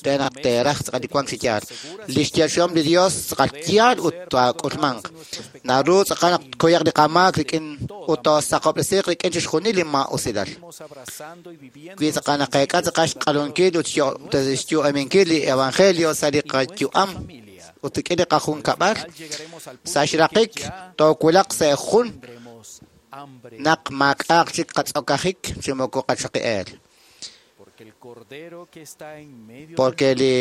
re naq teeraj tz'aqal li wank chi yaal. Li xyeechihom li Dios tz'aqal yaal ut taak'ulmanq. Naru tz'aqal naq tkuyaq li qamaak rik'in ut toosaqob'resiiq rik'in chixjunil li maa'usilal. Wi tz'aqal naqeek'a tz'aqal xq'alunkil ut xyu'aminkil li evangelio sa' li qayu'am ut rik'in li qajunkab'al sa' xraqik toowulaq sa' jun naq maak'a'aq chik qatz'okajik chi moko qachaqi'eel. Porque li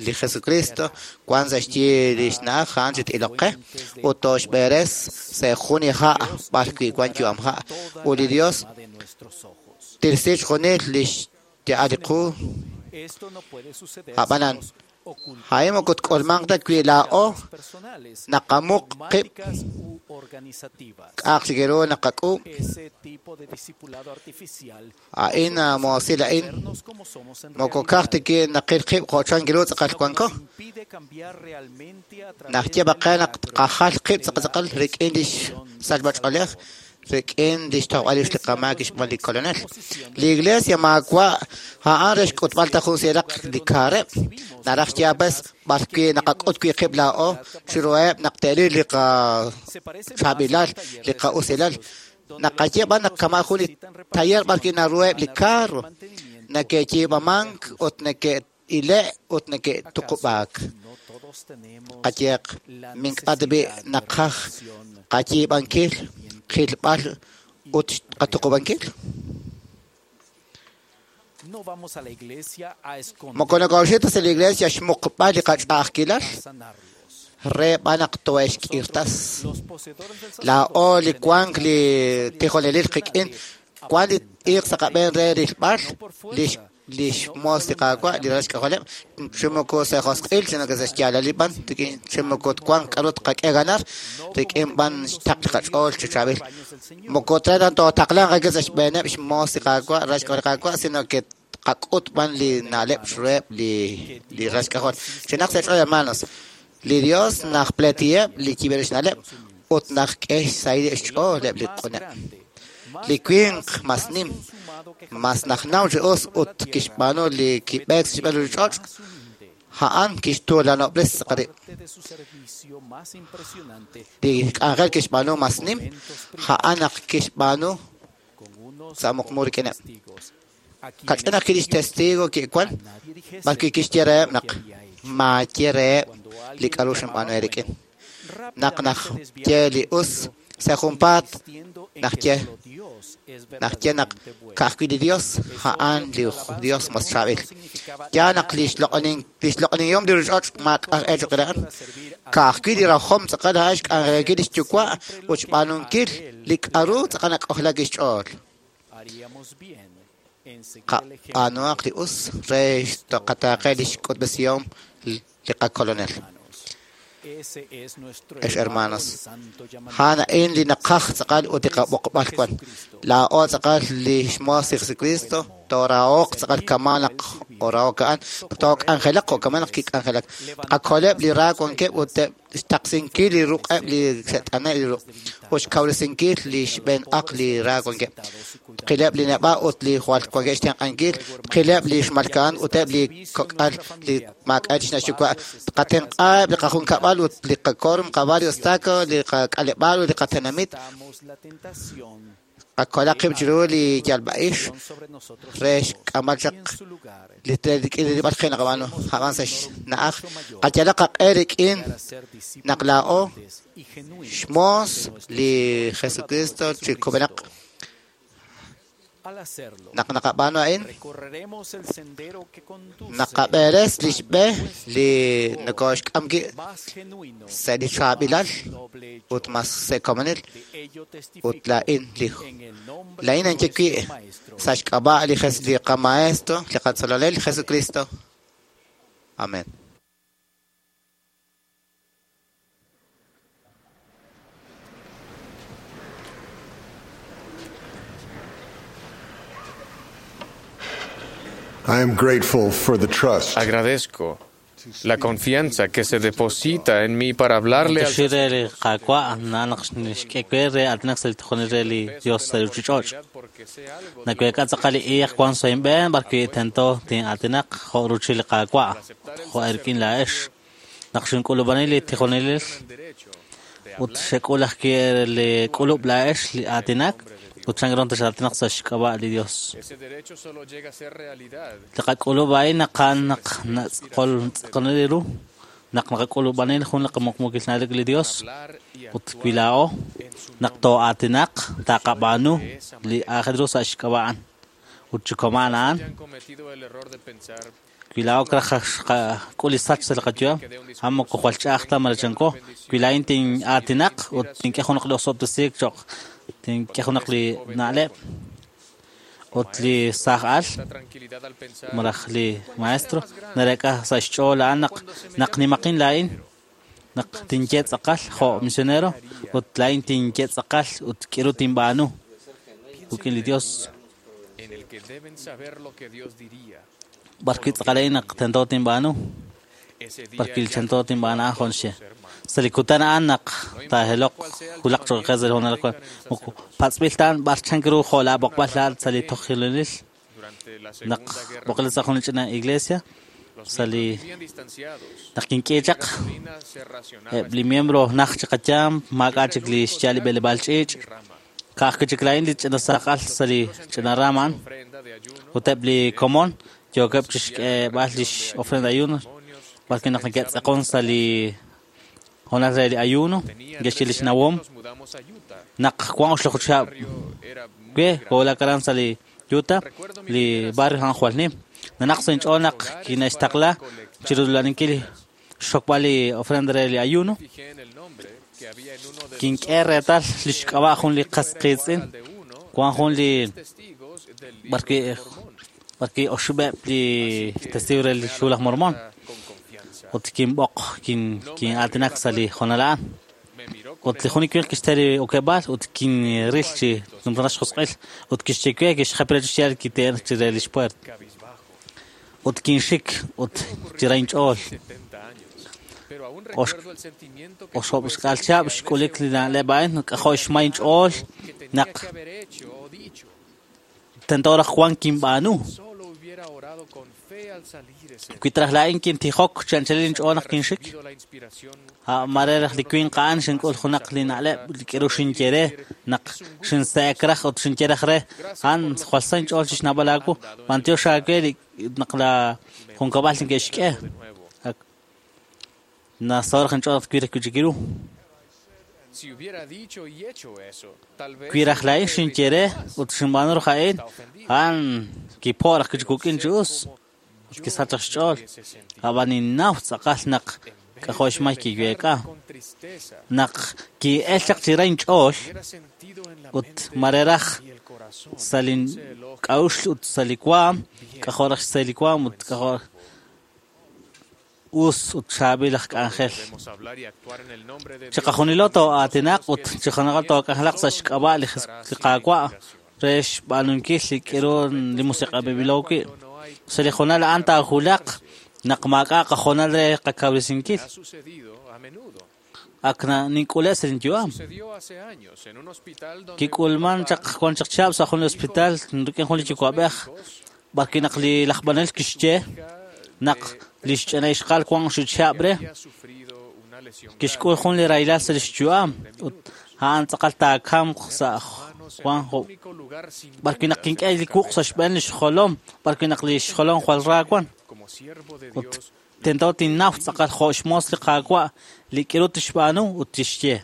Jesucristo wan sa' xyi li xna'aj a'an chi t'iloq qe ut toxb'eres sa' jun ha' b'ar wi' wan yu'am ha' ut li Dios tirsi xjunil li xya'al li qu ab'anan a'in moko tk'ulmanq ta wi laa'o naqamuq qib' k'a'aq chik ru naqak'uub' a'in moosil a'in moko ka'aj ta naqil qib' jo' chan ru tz'aqal wanko najye b'aqe naq tqajal qib' tz'aqal rik'in li xsachb'ach'oolej rik'in li xtojb'al rix li qamaak xb'aan li kolonel. Li iglesia maawa' a'an re xk'utb'al ta jun sieraq li kaareb' naraj xyaab'es b'ar wi' naqak'ut wi' qib' laa'o chiruheb' naq te'ril li qachaab'ilal li qa'usilal naqaye b'an naq kama' jun li taller b'ar wi' naruheb' li carro neke'yiib'amank ut neke' neke'ile' ut neke'tuqub'aak. Qayehaq mink'a' tab'i' naqaj qayiib'ankil, qilb'al ut qatuqub'ankil. Moko nokooxik ta sa' li iglesia xmuqb'al li qach'a'ajkilal re b'an naq tohe'xk'irtas. Laa'o li wank li tijonelil qik'in wank li iiq sa' qab'een re rilb'al li xmoos li Qaawa' li ralal xk'ajoleb' chi moko sa' josq'il sino que sa' xyaalalil b'an rik'in chi moko wank k'aru tqak'e ganar rik'in b'an xtaql li qach'ool chi chaab'il. Moko tre tootaqlanq ake sa' xb'eeneb' xmoos li Qaawa' ralal xk'ajol li Qaawa' sino que tqak'ut b'an li na'leb' xruheb' li ralal xk'ajol. Chinaq sa' ch'ool, hermanos, li Dios najpleetiheb' li yib'eb' xna'leb' ut najk'e xsahil xch'ool eb' li q'uneb'. Li winq mas nim, mas najnaw chi us ut kixb'aanu li kib'eek sa' xb'een li ch'och', a'an kixtuulanob'res rib'. Li k'anjel kixb'aanu mas nim, a'an naq kixb'aanu sa' muqmu rik'ineb'. Kach'in ajwi' lix testigo ki'wan, b'arwi' kixye reheb' naq maaye reheb' li k'aru xinb'aanu eerik'in. Naq najye li us sa' junpaat najye naq ka'ajwi' li Dios a'an li Dios mas chaab'il. Yaal naq li xloq'onihom li ruuchich'och' maak'a' cho'q re a'an. Ka'ajwi' li rajom tz'aqal a'an xk'anjelankil li xyuwa' ut xb'aanunkil li k'aru tz'aqal nak'ojlak xch'ool. Qab'aanuhaq li us re qataaqe li xk'utb'esihom li qakolonel. Ex hermanos, a'an a'in li naqaj tz'aqal ut li qab'oqb'al wan. Laa'o tz'aqal li xmoos li Jesucristo, toorahoq tz'aqal kama' naq orahok a'an, took'anjelaq jo' kama' naq kik'anjelak. Tqakoleb' li ra wankeb' ut xtaqsinkil li ruq'eb' li xe't'ane' li ruq' ut xkawresinkil li xb'een aq li ra wankeb'. Tqileb' li neb'a' ut li jwal wankeb' xtenq'ankil, tqileb' li xmalka'an ut eb' li kok'al li maak'a' chixna' xyuwa'. Tqatenq'aheb' li qajunkab'al ut li qakorum, qabarrio estaca, li qak'aleb'aal ut li qatenamit. Qakolaq qib' chiru li yalb'a'ix re xk'amb'al chaq li rilb'al qe naqab'aanu a'an sa' xna'aj. Qayalaq qaq'e rik'in naq laa'o xmoos li Jesucristo chi kub'enaq. Naq naqab'aanu a'in, naqab'eres li xb'e li nokooxk'am wi' sa' li chaab'ilal ut mas sa' komonil ut laa'in ninye wi' sa' xk'ab'a' li qamaestro, li qatzolonel Jesucristo. Amén. I am grateful for the trust. Agradezco la confianza que se deposita en mí para hablarle al Ese derecho solo llega a ser realidad. Taqak'ulub'ain naqan naq natz'qol naq naqak'ulub'anil jun laqamuqmukilnalik li Dios ut wila'o naq to'atinaq taqab'aanu li aajel ru sa' xk'ab'a'an ut chikoman a'an wila'o kraj k'ul li sach sa' li qayu'am a'an moko jwal ch'a'aj ta marachanko wila'in tin'aatinaq ut tink'e junaq li osob'tesiik cho'q tink'e junaq li na'leb' ut li saaj al malaj li maestro narek'a sa' xch'ool a'an naq nimaqin laa'in naq tinye tz'aqal jo' misionero ut laa'in tinye tz'aqal ut k'iru tinb'aanu rik'in li Dios b'arwi' tz'aqal naq tento tinb'aanu b'arwi' li tento tinb'aanu a'an jun xe sa' li kutan a'an naq taajeloq wulaq cho'q qe sa' li hoonal moko patz'b'il ta'an b'ar chank ru jo' laab'oqb'al laa'at sa' li tojilonil naq b'oqle sa' jun li ch'ina iglesia sa' li naq kink'e chaq eb' li miembro naj chi qayaam maak'a' chik li xyaal li b'eleb'aal ch'iich' ka'ajwi' chik laa'in li ch'ina saaq'al sa' li ch'ina rama a'an ut eb' li komon Yookeb' chixk'eeb'al lix ofrenda ayuno b'arwi' naq neke'tz'aqon sa' li hoonal re li ayuno neke'xye lix nawom naq wan oxloq chihab' we koowulak aran sa' li Utah li barrio a'an jwal nim nanaq sa' inch'ool naq kine'xtaqla chirula'aninkil xxokb'al li ofrenda re li ayuno kink'e reetal lix k'ab'a' jun li qas qiitz'in wan jun li b'arwi' oxib'eb' li testigo re li Xhu laj Mormon ut kinb'oq kin'aatinak sa' li hoonal a'an ut li jun li winq kixte li okeb'aal ut kinril chi numtajenaq xjosq'il ut kixye we kixjap re chi xyaal kite'en chire lix puert ut kinxik ut chi ra inch'ool oxib' xk'al chihab' xk'ulik li na'leb' a'in k'ajo' xmay inch'ool naq tento raj wan kinb'aanu wi traj laa'in kintijok chi anchalil inch'ool naq kinxik mare raj li winq a'an xink'ul junaq li na'leb' li k'aru xinye re naq xinse'ek raj ut xinye raj re a'an jwal sa inch'ool chi xnawb'al aawu b'antiox aawe li naq la junkab'al neke'xk'e nasaho' raj inch'ool naq twil raj wi' chik ru wi raj laa'in xinye re ut xinb'aanu raj a'in a'an kipo' raj wi' chik wuk'in chi us ut kisach raj xch'ool ab'an ninnaw tz'aqal naq k'ajo' xmay kiweek'a naq ki'el chaq chi ra inch'ool ut mare raj sa' lin k'a'uxl ut sa' li waam k'ajo' raj xsahil li waam ut k'ajo' us ut chaab'il aj k'anjel chiqajunilo too'aatinaq ut chiqajunilo took'anjelaq sa' xk'ab'a' li Qaawa' re xb'aanunkil li k'aru li musiq'anb'ilo wi' sa' li hoonal a'an taawulaq naq maak'a' qahoonal re qakawresinkil ak nink'ule' sa' linyu'am kik'ulman chaq wan chaq chihab' sa' jun li hospital rik'in jun li yuwa'b'ej b'arwi' naq li laj b'anel kixye naq lix ch'ina ixqal wan oxib' chihab' re kixk'ul jun li rahilal sa' lix yu'am ut a'an tz'aqal taakamq sa' wan jo' b'arwi' naq kink'e li wuq' sa' xb'een lix jolom b'arwi' naq lix jolom jwal ra wan ut tento tinnaw tz'aqal jo' xmoos li Qaawa' li k'aru tixb'aanu ut tixye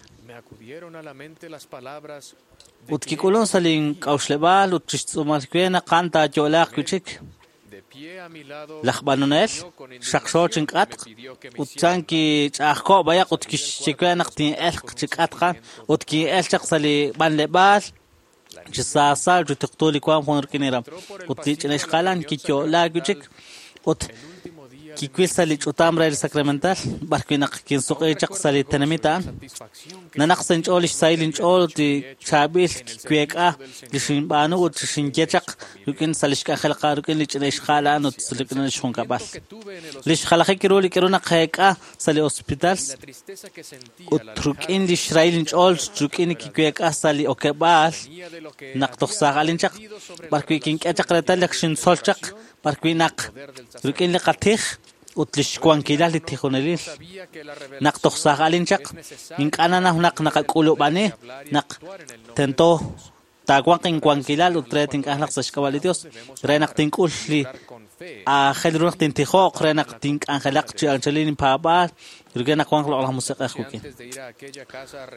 ut kik'ulun sa' link'a'uxleb'aal ut chixtz'uumal we naq a'an taayo'laaq wi' chik laj b'anonel xaqxo chink'atq ut chan kich'a'ajko' b'ayaq ut kixye we naq tin'elq chi k'atq a'an ut kin'el chaq sa' li b'anleb'aal chi saasa chi tuqtu li waam jun rik'in iram ut li ch'ina ixqa'al a'an kiyo'laak wi' chik ut kiwil sa' li ch'utam re li sacramental b'arwi' naq kinsuq'i chaq sa' li tenamit a'an nanaq sa' inch'ool lix sahil inch'ool ut li chaab'il kiweek'a li xinb'aanu ut xinye chaq rik'in sa' lix k'anjel rik'in li ch'ina ixqa'al a'an ut rik'in lix junkab'al lix jalajik ru li k'aru naqeek'a sa' li hospital ut rik'in lix rahil inch'ool rik'in li kiweek'a sa' li okeb'aal naq toj saaj'alin chaq b'arwi' kink'e chaq reetal naq xintzol chaq b'arwi' naq rik'in li qatij ut lix wankilal li tijonelil naq toj saaj'alin chaq ink'a' nanaw naq naqak'ulub'ani naq tento taawanq inwankilal ut re tink'anjelaq sa' xk'ab'a' li Dios re naq tink'ul li aajel ru naq tintijoq re naq tink'anjelaq chi anchalil inpaab'aal rik'in naq wanq loq'laj musiq'ej wik'in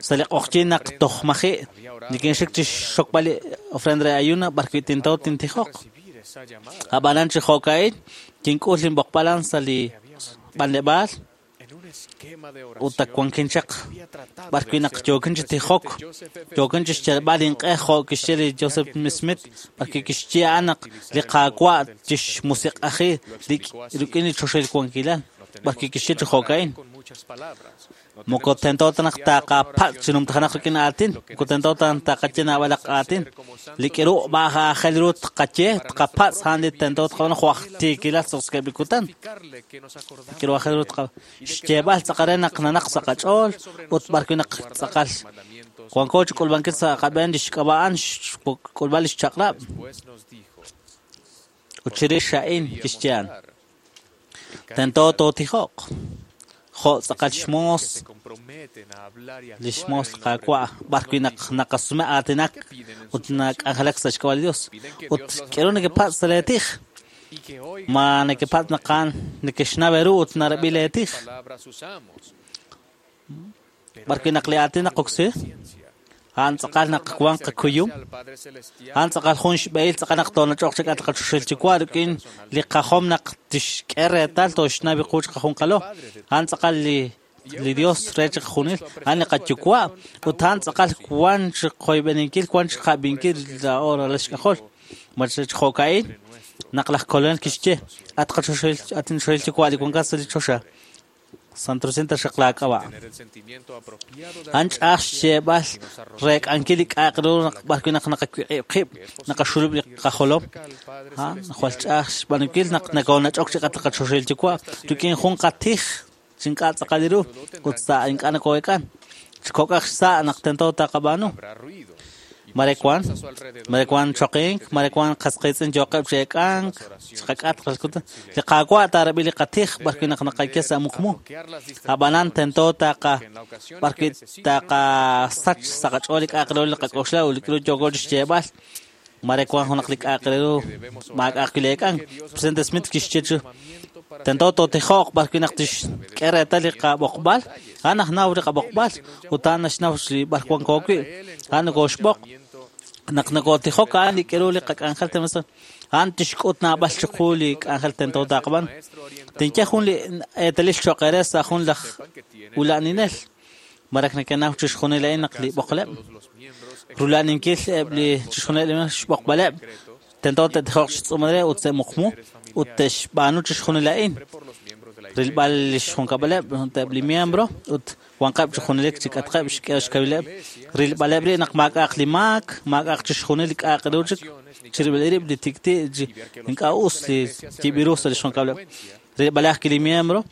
sa' li q'oqyink naq toj maji' nikinxik chi xxokb'al li ofrenda re ayuno b'arwi' tento tintijoq ab'anan chi jo'ka'in kink'ul linb'oqb'al a'an sa' li b'anleb'aal ut ak wankin chaq b'arwi' naq yookin chi tijok yookin chi xyalb'al inq'e jo' kixye li Joseph Smith b'arwi' kixye a'an naq li Qaawa' chixmusiq'aji rik'in li choxahil wankilal b'arwi' kixye chi jo'ka'in moko tento ta naq taqapatz' chi numtajenaq rik'in aatin moko tento ta naq taqaye naab'alaq aatin li k'aru aajel ru tqaye tqapatz' a'an li tento tqab'aanu jo' aj tiikilal sa' li kutan li k'aru aajel ru xyeeb'al tz'aqal re naq nanaq sa' qach'ool ut b'arwi' naq tz'aqal wanko chi k'ulb'ankil sa' qab'een lix k'ab'a' a'an xk'ulb'al lix chaq'rab' ut chirix a'in kixye a'an tento tootijoq jo' tz'aqal xmoos lix moos li Qaawa' b'arwi' naq naqasume aatinak ut nak'anjelak sa' xk'ab'a' li Dios ut k'aru nekepatz' sa' lee tij Ma nekepatz' naq a'an nekexnaw eeru ut narab'i lee tij. B'ar wi' naq li aatin naqoksi, a'an tz'aqal naq wan qakuyum, a'an tz'aqal jun xb'ehil tz'aqal naq toonach'oq chi k'atq qachoxahil Yuwa' rik'in li qajom naq tixk'e reetal tooxnaw qu chiqajunqalo. A'an tz'aqal li Dios re chiqajunil, a'an li qayuwa' ut a'an tz'aqal wan chiqoyb'eninkil, wan chiqab'inkil laa'o ralal xk'ajol. Ma chi jo'ka'in naq laj Kolonel kixye, at qachoxahil, at inchoxahil Yuwa' li wankat sa' li choxa, santosinta xaq laak'ab'a'. A'an ch'a'aj xyeeb'al reek'ankil li k'a'aq ru naq b'ar wi' naq naqawiq'ib' qib', naqaxulub' li qajolom. Jwal ch'a'aj xb'aanunkil naq nokoonach'ok chi k'atq qachoxahil Yuwa' rik'in jun qatij chi ink'a' tz'aqal ru ut sa' ink'a' nokoo'eek'an. Chi kok'aj xsa' naq tento taqab'aanu. Mare wan choqink, mare wan qas qiitz'in yooqeb' chi eek'ank, chiqak'atq li Qaawa' taarab'i li qatij b'ar wi' naq naqaye sa' muqmu. Ab'anan tento taqa b'ar wi' taqasach sa' qach'ool li k'a'aq re ru li qak'oxla ut li k'aru yooko chi xyeeb'al. Mare wan junaq li k'a'aq re ru maak'a'aq wi' li eek'ank. Presidente Smith kixye chi tento tootijoq b'ar wi' naq tixk'e reetal li qab'oqb'al, a'an najnaw li qab'oqb'al ut a'an naxnaw li b'ar wanko wi', a'an nokooxb'oq. Naq nokootijok a'an li k'aru li qak'anjel temasa, a'an tixk'ut naab'al chiqu li k'anjel tento taqab'an. Tinye jun li eetalil cho'q eere sa' jun laj ula'aninel. Marak nekenaw chixjunil a'in naq li b'oqleb', rula'aninkil eb' li chixjunil xb'oqb'aleb', tento te'tijoq xtz'uumal re ut se'muqmu ut te'xb'aanu chixjunil a'in. Rilb'al li xjunkab'aleb' ut eb' li miembro ut wanqeb' chi junelik chi k'atqeb' xk'e xkawileb'. Rilb'aleb' ri' naq maak'a'aq li maak, maak'a'aq chixjunil li k'a'aq ru chik, chirib'il rib' li tikti' chi ink'a' us li yib'iru sa' li xjunkab'aleb'. Rilb'aleb' ajwi' li miembro,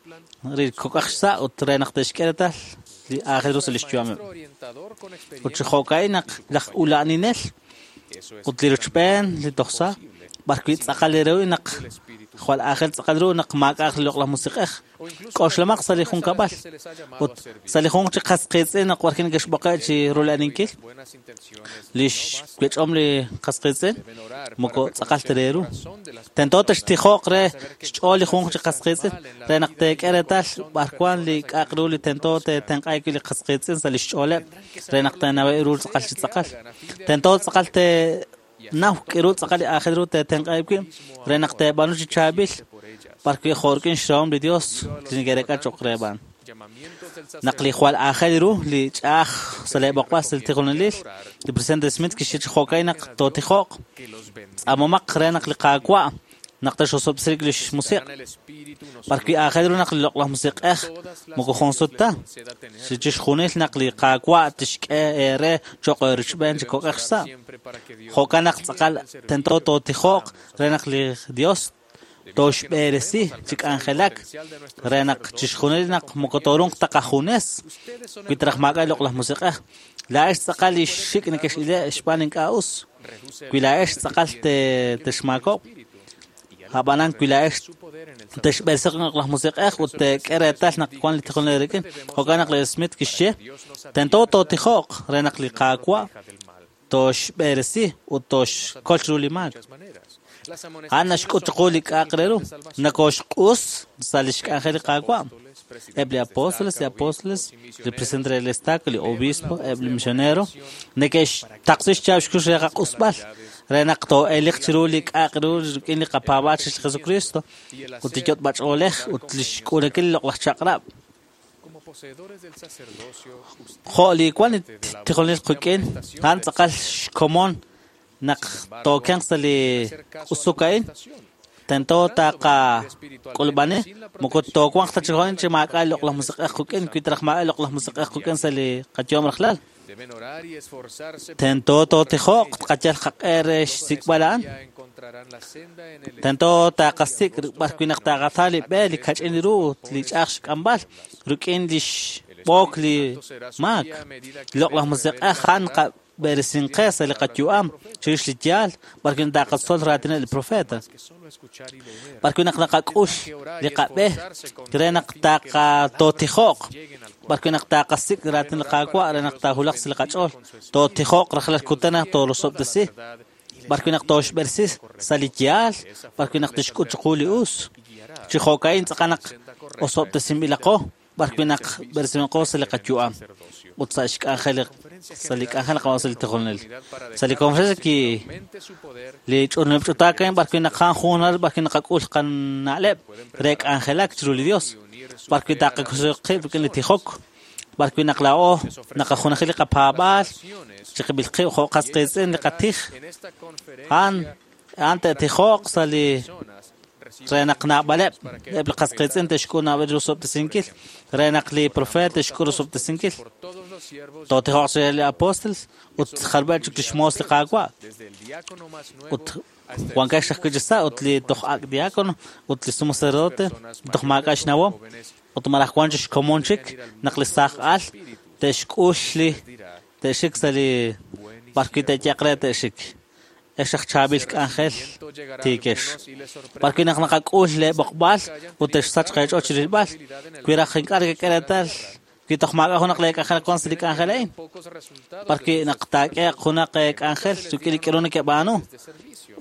ri kok'aj xsa' ut re naq te'xk'e reetal li aajel ru sa' li xyu'ameb'. Ut chi jo'ka'in naq laj ula'aninel ut li rochb'een li tojsa' b'ar wi' tz'aqal ru naq jwal aajel tz'aqal ru naq maak'a'aq li loq'laj musiq'ej. K'oxlamaq sa' li junkab'al ut sa' li junq chi qas qiitz'in naq warkin neke'xb'oqe' chi rula'aninkil li xwech'om li qas qiitz'in moko tz'aqal ta re ru. Tento textijoq re xch'ool li junq chi qas qiitz'in re naq teek'e reetal b'ar wan li k'a'aq ru li tento teetenq'a wi' li qas qiitz'in sa' li xch'ooleb' re naq teenaweb' ru tz'aqal chi tz'aqal. Tento tz'aqal te naw k'aru tz'aqal li aajel ru teetenq'a wi' re naq teeb'aanu chi chaab'il b'ar wi' jo' rik'in xrahom li Dios li neke'reek'a cho'q re b'an. Naq li jwal aajel ru li ch'a'aj sa' lee b'oqb'al sa' li tijonelil, li Presidente Smith kixye chi jo'ka'in naq tootijoq, tz'aamomaq re naq li Qaawa' naq texosob'sirik li xmusiq'. B'ar wi' aajel ru naq li loq'laj musiq'ej moko jun sut ta, chixjunil naq li Qaawa' tixk'e eere cho'q eerochb'een chi kok'aj xsa'. Jo'kan naq tz'aqal tento tootijoq re naq li Dios tooxb'eresi chi k'anjelak re naq chixjunil naq moko toorunq ta qajunes wi traj maak'a' li loq'laj musiq'ej. Laa'ex tz'aqal li xik' nekex'ile' xb'aan ink'a' us. Wi laa'ex tz'aqal texmaakob', ab'anan wi laa'ex texb'eresiq loq'laj musiq'ej ut teek'e reetal naq wan li tijonel rik'in. Jo'kan naq li Smith kixye, tento tootijoq re naq li Qaawa' tooxb'eresi ut tooxkol chiru li maak. A'an naxk'ut chiqu li k'a'aq re ru, nokooxq'us sa' li xk'anjel li Qaawa'. Eb' li apóstoles, li presidente del estaca, li obispo, eb' li misionero, neke'xtaqsi xchaab' xkux re qaq'usb'al, re naq too'eliq chiru li k'a'aq ru rik'in li qapaab'aal chirix li Jesucristo ut li yot'b'ach'oolej ut li xk'uulankil li loq'laj chaq'rab'. Jo' li wan li tijonelil qik'in, a'an tz'aqal xkomon naq tookenq sa' li q'usuk a'in, tento taqak'ulb'ani, moko toowanq ta chi jo'in chi maak'a' li loq'laj musiq'ej qik'in, wi traj maak'a' li loq'laj musiq'ej qik'in sa' li qayu'am rajlal. Tento tootijoq tqayal qaq'e re xsik'b'al a'an. Tento taqasik' b'ar wi' naq taqata li b'e li kach'in ru ut li ch'a'aj xk'amb'al rik'in li xb'ook li maak. Li loq'laj musiq'ej a'an qab'eresinqe sa' li qayu'am chirix li yaal b'ar wi' taqatzol raatineb' li profeta. B'ar wi' naq naqak'ul li qab'e re naq taqatootijoq, b'ar wi' naq taqasik' raatin li Qaawa' re naq taahulaq sa' li qach'ool. Tootijoq rajlal kutan naq toorosob'tesi. B'ar wi' naq tooxb'eresi sa' li yaal, b'ar wi' naq tixk'ut chiqu li us. Chi jo'ka'in tz'aqal naq osob'tesinb'ilaqo, b'ar wi' naq b'eresinb'ilaqo sa' li qayu'am ut sa' xk'anjel sa' li k'anjel naqab'aanu sa' li tijonelil. Sa' li conferencia ki li ch'utlaak a'in b'ar wi' naq a'an jun honal b'ar wi' naqak'ul qana'leb' re k'anjelak chiru li Dios, b'ar wi' taqak'uxl qib' rik'in li tijok, b'ar wi' naq laa'o naqajunaji li qapaab'aal chiqib'il qib' jo' qas qiitz'in li qatij. A'an te'tijoq sa' li re naq naab'aleb' eb' li qas qiitz'in te'xk'ul naab'al li rosob'tesinkil, re naq li profeet te'xk'ul rosob'tesinkil. Tootijoq chire li apóstoles ut jalb'eb' chik lix moos li Qaawa'. Ut wankex ajwi' chi sa' ut li toj ak' diácono ut li sumo sacerdote toj maak'a' xnawom ut malaj wan chi xkomon chik naq li saaj al te'xk'ul li te'xik sa' li b'ar wi' te'yeq re te'xik. Ex aj chaab'il k'anjel tiikex. B'ar wi' naq naqak'ul le b'oqb'al ut te'xsach qeech'ool chi rilb'al, wi raj ink'a' nekek'e reetal wi toj maak'a' junaq le k'anjel wan sa' li k'anjel a'in. B'ar wi' naq taak'eeq junaq k'anjel rik'in li k'aru nekeb'aanu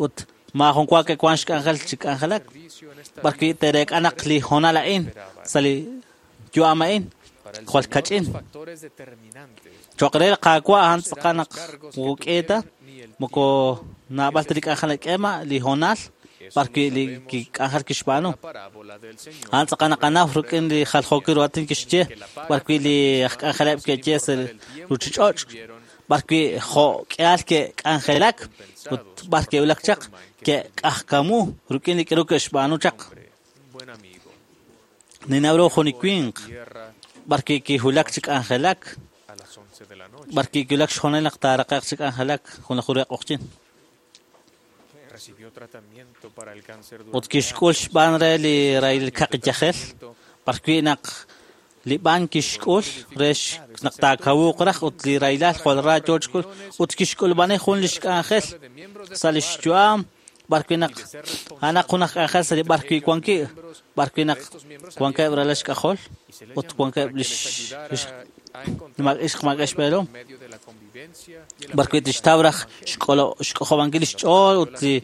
ut maajun wa ke'wan xk'anjel chi k'anjelak. B'ar wi' te'reek'a naq li hoonal a'in sa' li yu'am a'in jwal kach'in. Cho'q re li Qaawa' a'an tz'aqal naq moko k'i ta, moko naab'al ta li k'anjel nak'eema li hoonal b'ar wi' li k'anjel kixb'aanu. A'an tz'aqal naqanaw rik'in li jaljookil ru aatin kixye b'ar wi' li aj k'anjeleb' ke'ye sa' ruuchich'och', b'ar wi' jo' k'ihal ke'k'anjelak ut b'ar ke'wulak chaq ke'k'ajkamu rik'in li k'aru ke'xb'aanu chaq. Ninnaw ru jun li winq b'ar wi' kiwulak chi k'anjelak, b'ar wi' kiwulak xhoonal naq taaraqe'q chi k'anjelak jun laj re q'oqyink. Ut kixk'ul xb'aan re li rahil kaqi yajel, b'ar wi' naq li b'an kixk'ul re naq taakawuuq raj ut li rahilal jwal ra yoo chik'ul ut kixk'ulub'ani jun lix k'anjel sa' lix yu'am b'ar wi' naq a'anaq jun aj k'anjel sa' li b'ar wi' wan wi', b'ar wi' naq wankeb' ralal xk'ajol ut wankeb' lix ixq maak'a' xb'eelom, b'ar wi' tixtaw raj xk'ojob'ankil lix ch'ool ut li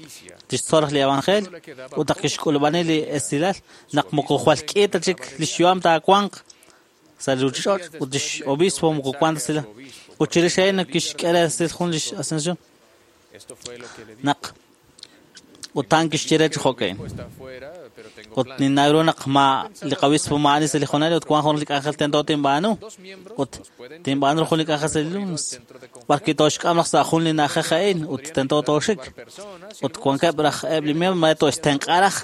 tixtzol raj li evangelio ut naq kixk'ulub'ani li esilal naq moko jwal k'i ta chik lix yu'am taawanq sa' li ruuchich'och' ut lix obispo moko wan ta sila. Ut chirix a'in naq kixk'e resil jun lix ascensión naq ut a'an kixye re chi jo'ka'in. Ut ninnaw ru naq ma li qabispo maa'ani sa' li hoonal ut wan jun li k'anjel tento tinb'aanu ut tinb'aanu jun li k'anjel sa' li lunes b'ar wi' tooxk'am raj sa' jun li na'ajej a'in ut tento tooxik ut wankeb' raj eb' li miembro ma to'xtenq'a raj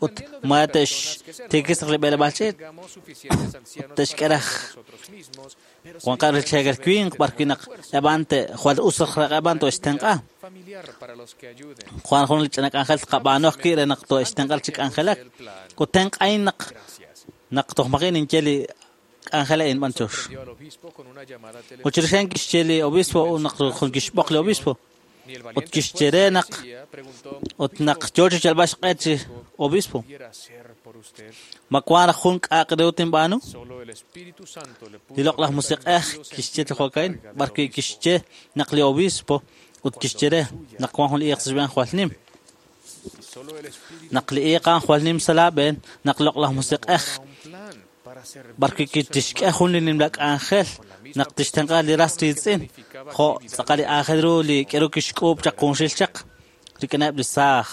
ut ma te'xtiikis raj li b'eleb'aal ch'iich' ut te'xk'e raj wankeb' li cheekel winq b'ar wi' naq eb'an jwal us raj eb'an to'xtenq'a. Jwal jun li ch'ina k'anjel tqab'aanu ajwi' re naq to'xtenq'a chi k'anjelak. Ut tenq'ahin naq toj maji' ninye li k'anjel a'in b'an chux. Ut chirix a'in kixye li obispo naq jun kixb'oq li obispo ut kixye re naq ut naq yoo chi yalb'al xq'e chi obispo. Ma wan raj jun k'a'aq re ru tinb'aanu? Li loq'laj musiq'ej kixye chi jo'ka'in, b'ar wi' kixye naq li obispo ut kixye re naq wan jun li iiq sa' xb'een jwal nim. Naq li iiq a'an jwal nim sa' laab'een, naq loq'laj musiq'ej b'ar wi' tixk'e jun li nimla k'anjel naq tixtenq'a li ras riitz'in, jo' tz'aqal li aajel ru li k'aru kixk'uub' chaq junxil chaq rik'ineb' li saaj.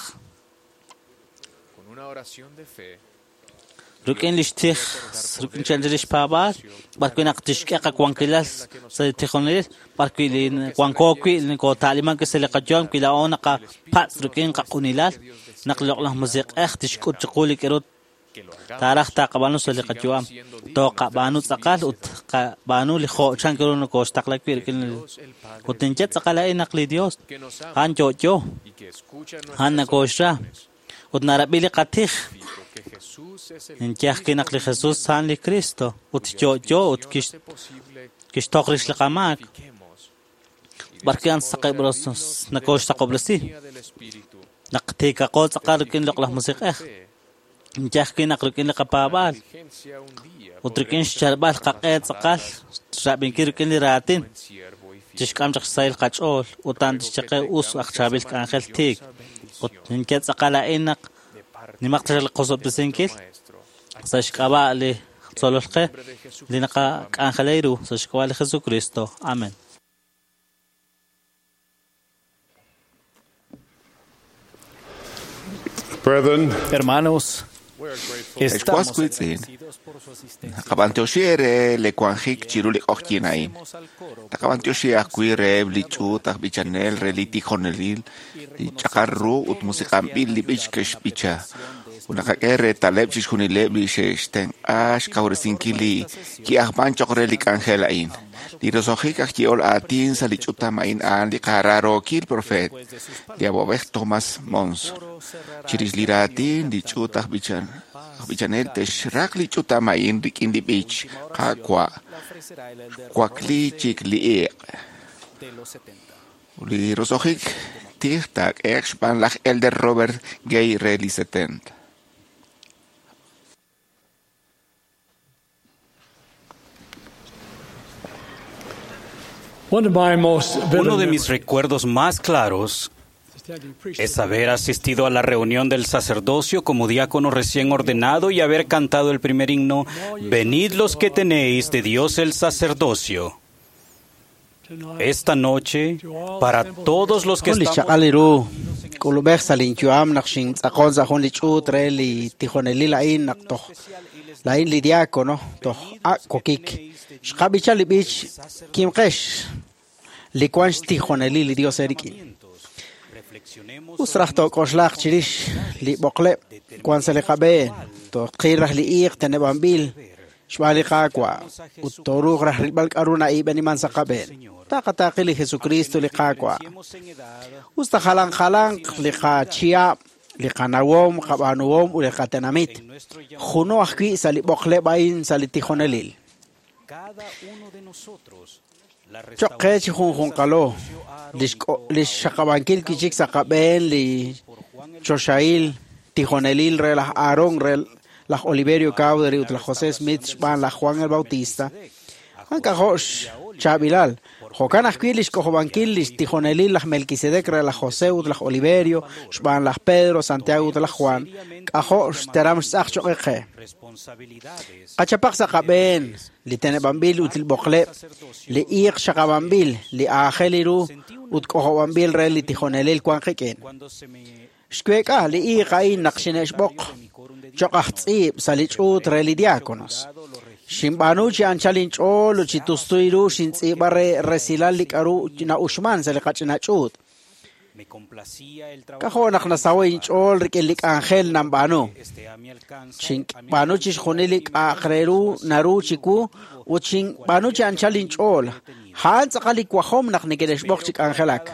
Rik'in lix tij, rik'in chanchil lix paab'aal, b'ar wi' naq tixk'e qawankilal sa' li tijonelil, b'ar wi' li wanko wi' nokota'liman wi' sa' li qayu'am wi' laa'o naqapatz' rik'in qaq'unilal, naq li loq'laj musiq'ej tixk'ut chiqu li k'aru taaraj taqab'aanu sa' li qayu'am. Toqab'aanu tz'aqal ut qab'aanu li jo' chan ru nokoxtaqla wi' rik'in ut ninye tz'aqal a'in naq li Dios a'an yo'yo, a'an nokoxra ut narab'i li qatij. Ninye ajwi' naq li Jesus a'an li Cristo ut yo'yo ut kixtoq rix li qamaak. B'ar wi' a'an nokoxsaqob'resi naq tiikaqo tz'aqal rik'in loq'laj musiq'ej. Ninye ajwi' naq rik'in li qapaab'aal ut rik'in xchalb'al qaq'e tz'aqal xrab'inkil rik'in li raatin. Tixk'am chaq xsahil qach'ool ut a'an tixye qe us aj chaab'il k'anjel tiik. Ut ninye tz'aqal a'in naq nimaq taxaq li qosob'tesinkil sa' xk'ab'a' li tzolol qe li naqak'anjela ru sa' xk'ab'a' li Jesucristo. Amén. Brethren, Hermanos, Ex was wiitz'in, naqab'antioxi eere li wanjik chiru li q'oqyink a'in. Taqab'antioxi ajwi' reheb' li ch'uut aj b'ichanel re li tijonelil, li ch'aqal ru ut musiq'anb'il li b'ich ke'xb'icha. Ut naqak'e reetaleb' chixjunileb' li xe'xtenq'a xkawresinkil li ki'ajman choq' re li k'anjel a'in. Li roso'jik aj yehol aatin sa' li ch'utam a'in a'an li qaraarookil profeet, li awab'ej Thomas Monson. Chirix li raatin li ch'uut aj b'ichanel te'xraq li ch'utam a'in rik'in li b'ich Qaawa' xwakli chik li iq'. Ut li roso'jik tij taak'ehe'q xb'aan laj Elder Robert Gay re li 70. One of my most vivid Uno de mis memories recuerdos más claros es haber asistido a la reunión del sacerdocio como diácono recién ordenado y haber cantado el primer himno, Venid los que tenéis de Dios el sacerdocio. Esta noche, para todos los que Jun li estamos xchaq'al li ru k'ulub'ej sa' linyu'am naq xintz'aqon sa' jun li ch'uut re li tijonelil a'in naq toj la'in li diácono toj ak' kokik. Xqab'icha li b'ich kimqex li wan xtijonelil li Dios eerik'in. Us raj took'oxlaq chirix li b'oqleb' wan sa' li qab'een, toqil raj li iiq teneb'anb'il xb'aan li Qaawa' ut tooruuq raj rilb'al k'a'ru na'ib'eniman sa' qab'een. Taqataaqi li Jesucristo li Qaawa'. Us ta jalan jalanq li qachihab', li qanawom, qab'aanuhom ut li qatenamit. Juno ajwi' sa' li b'oqleb' a'in sa' li tijonelil. Choq' qe chi junjunqalo, li xxaqab'ankil kichik sa' qab'een li choxahil tijonelil re laj Aarón, re laj Oliverio Cowdery ut laj José Smith xb'aan laj Juan el Bautista. A'an k'ajo' xchaab'ilal. Jo'kan ajwi' li xk'ojob'ankil li xtijonelil laj Melquisedec re laj José ut laj Oliverio xb'aan laj Pedro, Santiago ut laj Juan. K'ajo' xteram xtz'aq choq' qe. Qachapaq sa' qab'een li teneb'anb'il ut li b'oqleb', li iiq xaqab'anb'il, li aajel ru ut k'ojob'anb'il re li tijonelil wan qik'in. Xweek'a li iiq a'in naq xine'xb'oq choq' aj tz'iib' sa' li ch'uut re li diáconos. Xinb'aanu chi anchal inch'ool ut chi tustuy ru xintz'iib'a re resilal li k'a'ru na'uxman sa' li qach'ina ch'uut. K'ajo' naq nasaho' inch'ool rik'in li k'anjel nanb'aanu. Xinb'aanu chixjunil li k'a'aq re ru naru chiwu ut xinb'aanu chi anchal inch'ool. A'an tz'aqal li wajom naq neke'xb'oq chi k'anjelak.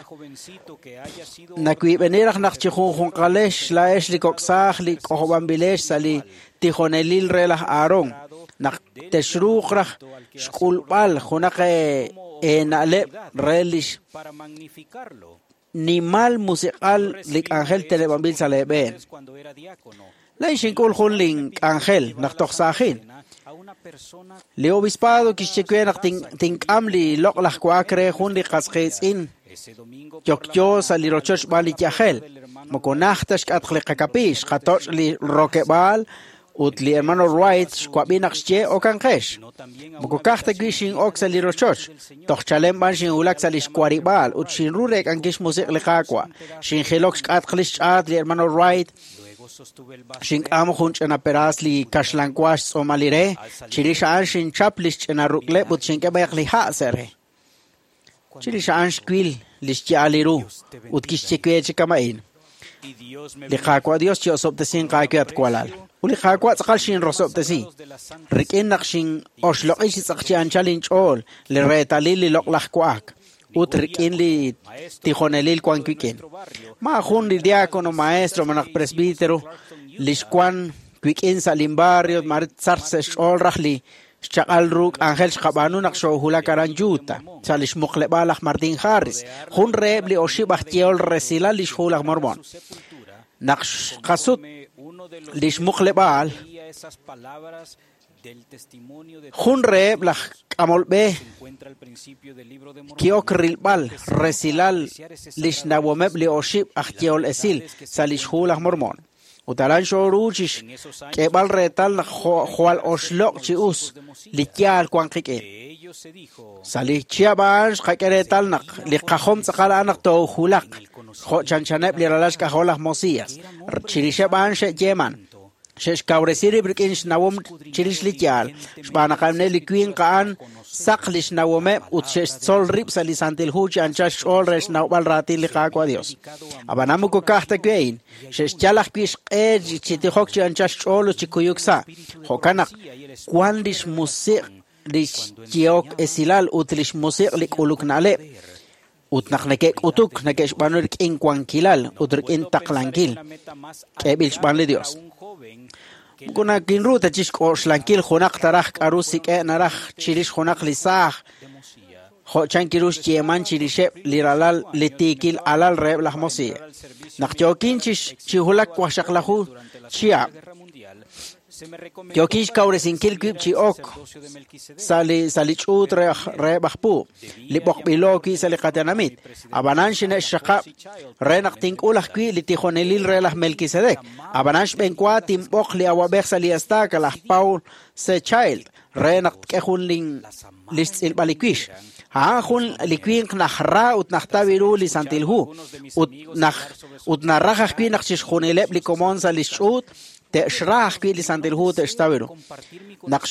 Nawiib'eni raj naq chi junjunqalex laa'ex li kok'saaj li k'ojob'anb'ilex sa' li tijonelil re laj Aarón, naq texruuq raj xk'ulb'al junaq eena'leb' re lix nimal musiq'al li k'anjel teneb'anb'il sa' leeb'een. Laa'in xink'ul jun lin k'anjel naq toj saajin. Li obispado kixye we naq tink'am li loq'laj wa'ak re jun li qas qiitz'in yokyo sa' li rochoch xb'aan li yajel. Moko najt ta xk'atq li qakapiix, xqatoch' li rokeb'aal ut li hermano Wright xwab'i naq xye okanqex. Moko ka'aj ta wi' xin'ok sa' li rochoch, toj chalen b'an xinwulak sa' li xwarib'aal ut xinru reek'ankil xmusiq' li Qaawa'. Xinjilok xk'atq li xch'aat li hermano Wright, xink'am jun ch'ina peraas li kaxlanwa xtz'uumal li re, chirix a'an xinchap li xch'ina ruk'leb' ut xink'e b'ayaq li ha' sa' re. Chirix a'an xwil li xya'al li ru ut kixye we chi kama'in. Li Qaawa' Dios chi'osob'tesinq aawe at walal. Ut li Qaawa' tz'aqal xinrosob'tesi. Rik'in naq xin'oxloq'i chi tz'aq chi anchal inch'ool li reetalil li loq'laj wa'ak ut rik'in li tijonelil wan wik'in. Maa jun li diácono, maestro, malaj presbítero li xwan wik'in sa' lin barrio mare tzar sa' xch'ool raj li xchaq'al ru k'anjel xqab'aanu naq xoohulak aran Utah, sa' li xmuqleb'aal laj Martin Harris, jun reheb' li oxib' aj yehol resilal li xhu laj Mormón. Naq xqasut li xmuqleb'aal, Jun reheb' laj k'amol b'e ki'ok rilb'al resilal li xnawomeb' li oxib' aj yehol esil sa' lix hu laj Mormon. Ut aran xooru chi xk'eeb'al reetal naq jwal oxloq' chi us li yaal wan qik'in. Sa' li chihab' a'an xqak'e reetal naq li qajom tz'aqal a'an naq toojulaq jo' chanchaneb' li ralal xk'ajol laj Mosias. Chirixeb' a'an xe'yeeman. Xe'xkawresi rib' rik'in xnawom chirix li yaal, xb'aan naq a'aneb' li winq a'an saq li xnawomeb' ut xe'xtzol rib' sa' li Santil Hu chi anchal xch'ool re xnawb'al raatin li Qaawa' Dios. Ab'anan moko ka'aj ta wi' a'in, xe'xyal ajwi' xq'e chi tijok chi anchal xch'ool ut chi kuyuk sa'. Jo'kan naq wan li xmusiq' li xyehok esilal ut li xmusiq' li k'uluk na'leb'. Ut naq neke'k'utuk, neke'xb'aanu rik'in wankilal ut rik'in taqlankil k'eeb'il xb'aan li Dios. Moko nakinru ta chixk'oxlankil junaq taraj k'a'ru sik'e' naraj chirix junaq li saaj, jo' chan kiru xyeeman chirixeb' li ralal li tiikil alal reheb' laj Mosiah. Naq yookin chi wulak 16 chihab', yookin xkawresinkil wib' chi ok sa' li ch'uut reheb' aj puub', li b'oqb'ilo wi' sa' li qatenamit. Ab'anan xine'xxaqab' re naq tink'ul ajwi' li tijonelil re laj Melquisedec. Ab'anan xb'eenwa tinb'oq li awab'ej sa' li estaca, laj Paul C. Child, re naq tk'e jun li xtz'ilb'al li wix. A'an jun li winq najra ut najtaw ru li Santil Hu, ut naraj ajwi' naq chixjunileb' li komon sa' li xch'uut te'xra ajwi' li Santil Hu te'xtaw ru. Naq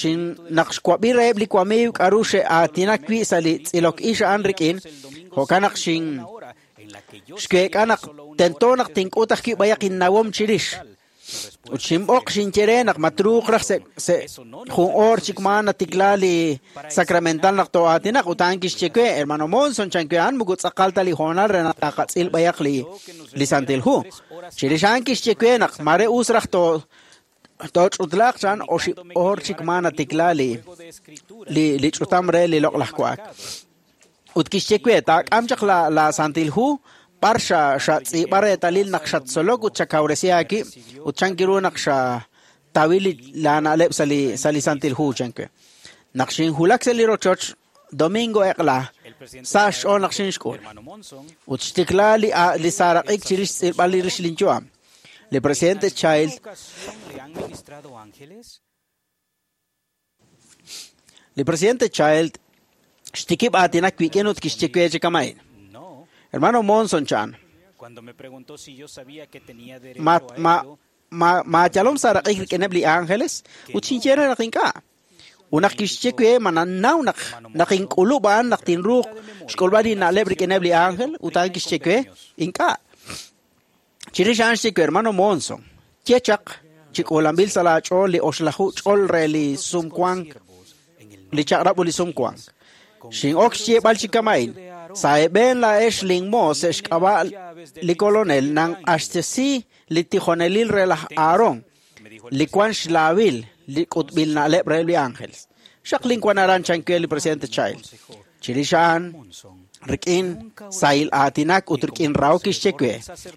xwab'i reheb' li wamiiw k'a'ru xe'aatinak wi' sa' li tz'ilok ix a'an rik'in, jo'kan naq xweek'a naq tento naq tink'ut ajwi' b'ayaq innawom chirix. Ut xinb'oq xinye re naq matruuq raj se' jun oor chik maa natikla li sacramental naq too'aatinaq. Ut a'an kixye we, hermano Monson, chan we a'an moko tz'aqal ta li hoonal re naq taqatz'il b'ayaq li Santil Hu. Chirix a'an kixye we naq mare us raj tooch'utlaaq chan oxib' oor chik maa natikla li ch'utam re li loq'laj wa'ak. Ut kixye we, taak'am chaq la Santil Hu b'ar xatz'iib'a reetalil naq xattzolok ut xakawresi aawib' ut chan kiru naq xatawil la na'leb' sa' li Santil Hu, chan we. Naq xinwulak sa' li rochoch domingo eq'la, sa' xch'ool naq xinxk'ul. Ut xtikla li saaraq'ik chirix xtz'ilb'al li rix linyu'am. Li presidente Child Li presidente Child xtikib' aatinak wik'in ut kixye we chi kama'in. Hermano Monson chan, ma yalom saaraq'ik rik'ineb' li ángeles ut xinye re naq ink'a'. Ut naq kixye we ma nannaw naq ink'ulub' a'an naq tinruuq xk'ulb'al li na'leb' rik'ineb' li ángel ut a'an kixye we ink'a'. Chirix a'an xye we, hermano Monson, ye chaq chi k'uulanb'il sa' laach'ool li 8 ch'ol re li sumwank, li chaq'rab' ut li sumwank. Xin'ok xyeeb'al chi kama'in, sa' eeb'een laa'ex linmoos sa' xk'ab'a' li kolonel nanq'axtesi li tijonelil re laj Aarón, li wan xlaawil li k'utb'il na'leb' reheb' li ángeles. Xaqlin wan aran chan we li presidente Child. Chirix a'an, rik'in sahil aatinak ut rik'in rahok kixye we,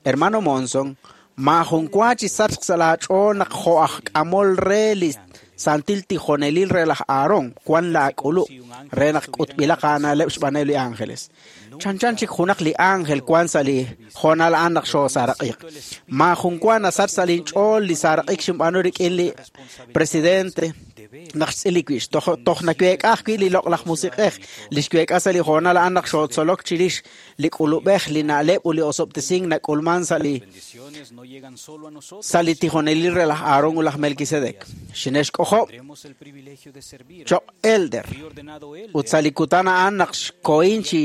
hermano Monson, maajun wa chi sachq sa' laach'ool naq jo' aj k'amol re li santil tijonelil re laj Aarón wan laak'ulub' re naq k'utb'ilaq aana'leb' xb'aaneb' li ángeles. Chanchan chik junaq li ángel wan sa' li hoonal a'an naq xoosaaraq'iq. Maajun wa nasach sa' linch'ool li saaraq'ik xinb'aanu rik'in li presidente naq xtz'il li wix. Toj naweek'a ajwi' li loq'laj musiq'ej li xweek'a sa' li hoonal a'an naq xootzolok chirix li k'ulub'ej, li na'leb' ut li osob'tesink nak'ulman sa' li tijonelil re laj Aarón ut laj Melquisedec. Xine'xk'ojob' choq' elder ut sa' li kutan a'an naq xkohin chi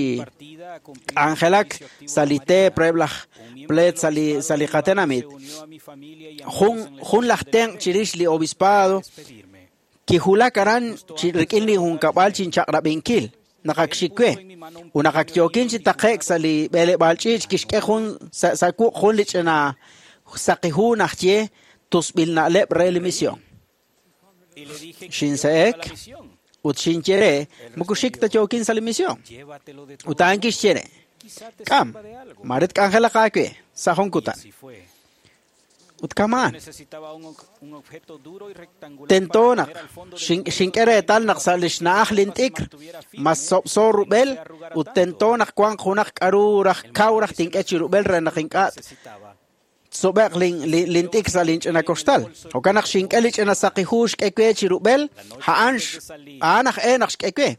k'anjelak sa' li teep reheb' laj pleet sa' li qatenamit. Jun laj tenq' chirix li obispado kiwulak aran rik'in li junkab'al chinchaq'rab'inkil naq ak xik we. Ut naq ak yookin chi taqe'k sa' li b'eleb'aal ch'iich' kixk'e jun sa' wuq' jun li ch'ina saqi hu najye tusb'il na'leb' re li misión. Xinse'ek ut xinye re moko xik ta yookin sa' li misión. Ut a'an kixye re, k'am, mare tk'anjelaq aawe sa' jun kutan. Ut kamaan. Tento naq xink'e reetal naq sa' li xna'aj lint'ikr mas sob'so rub'el ut tento naq wanq junaq k'aru raj kaw raj tink'e chi rub'el re naq ink'a' tsob'eq lint'ikr sa' linch'ina koxtal. Jo'kan naq xink'e li ch'ina saqi hu xk'e we chi rub'el, a'an aj e naq xk'e we.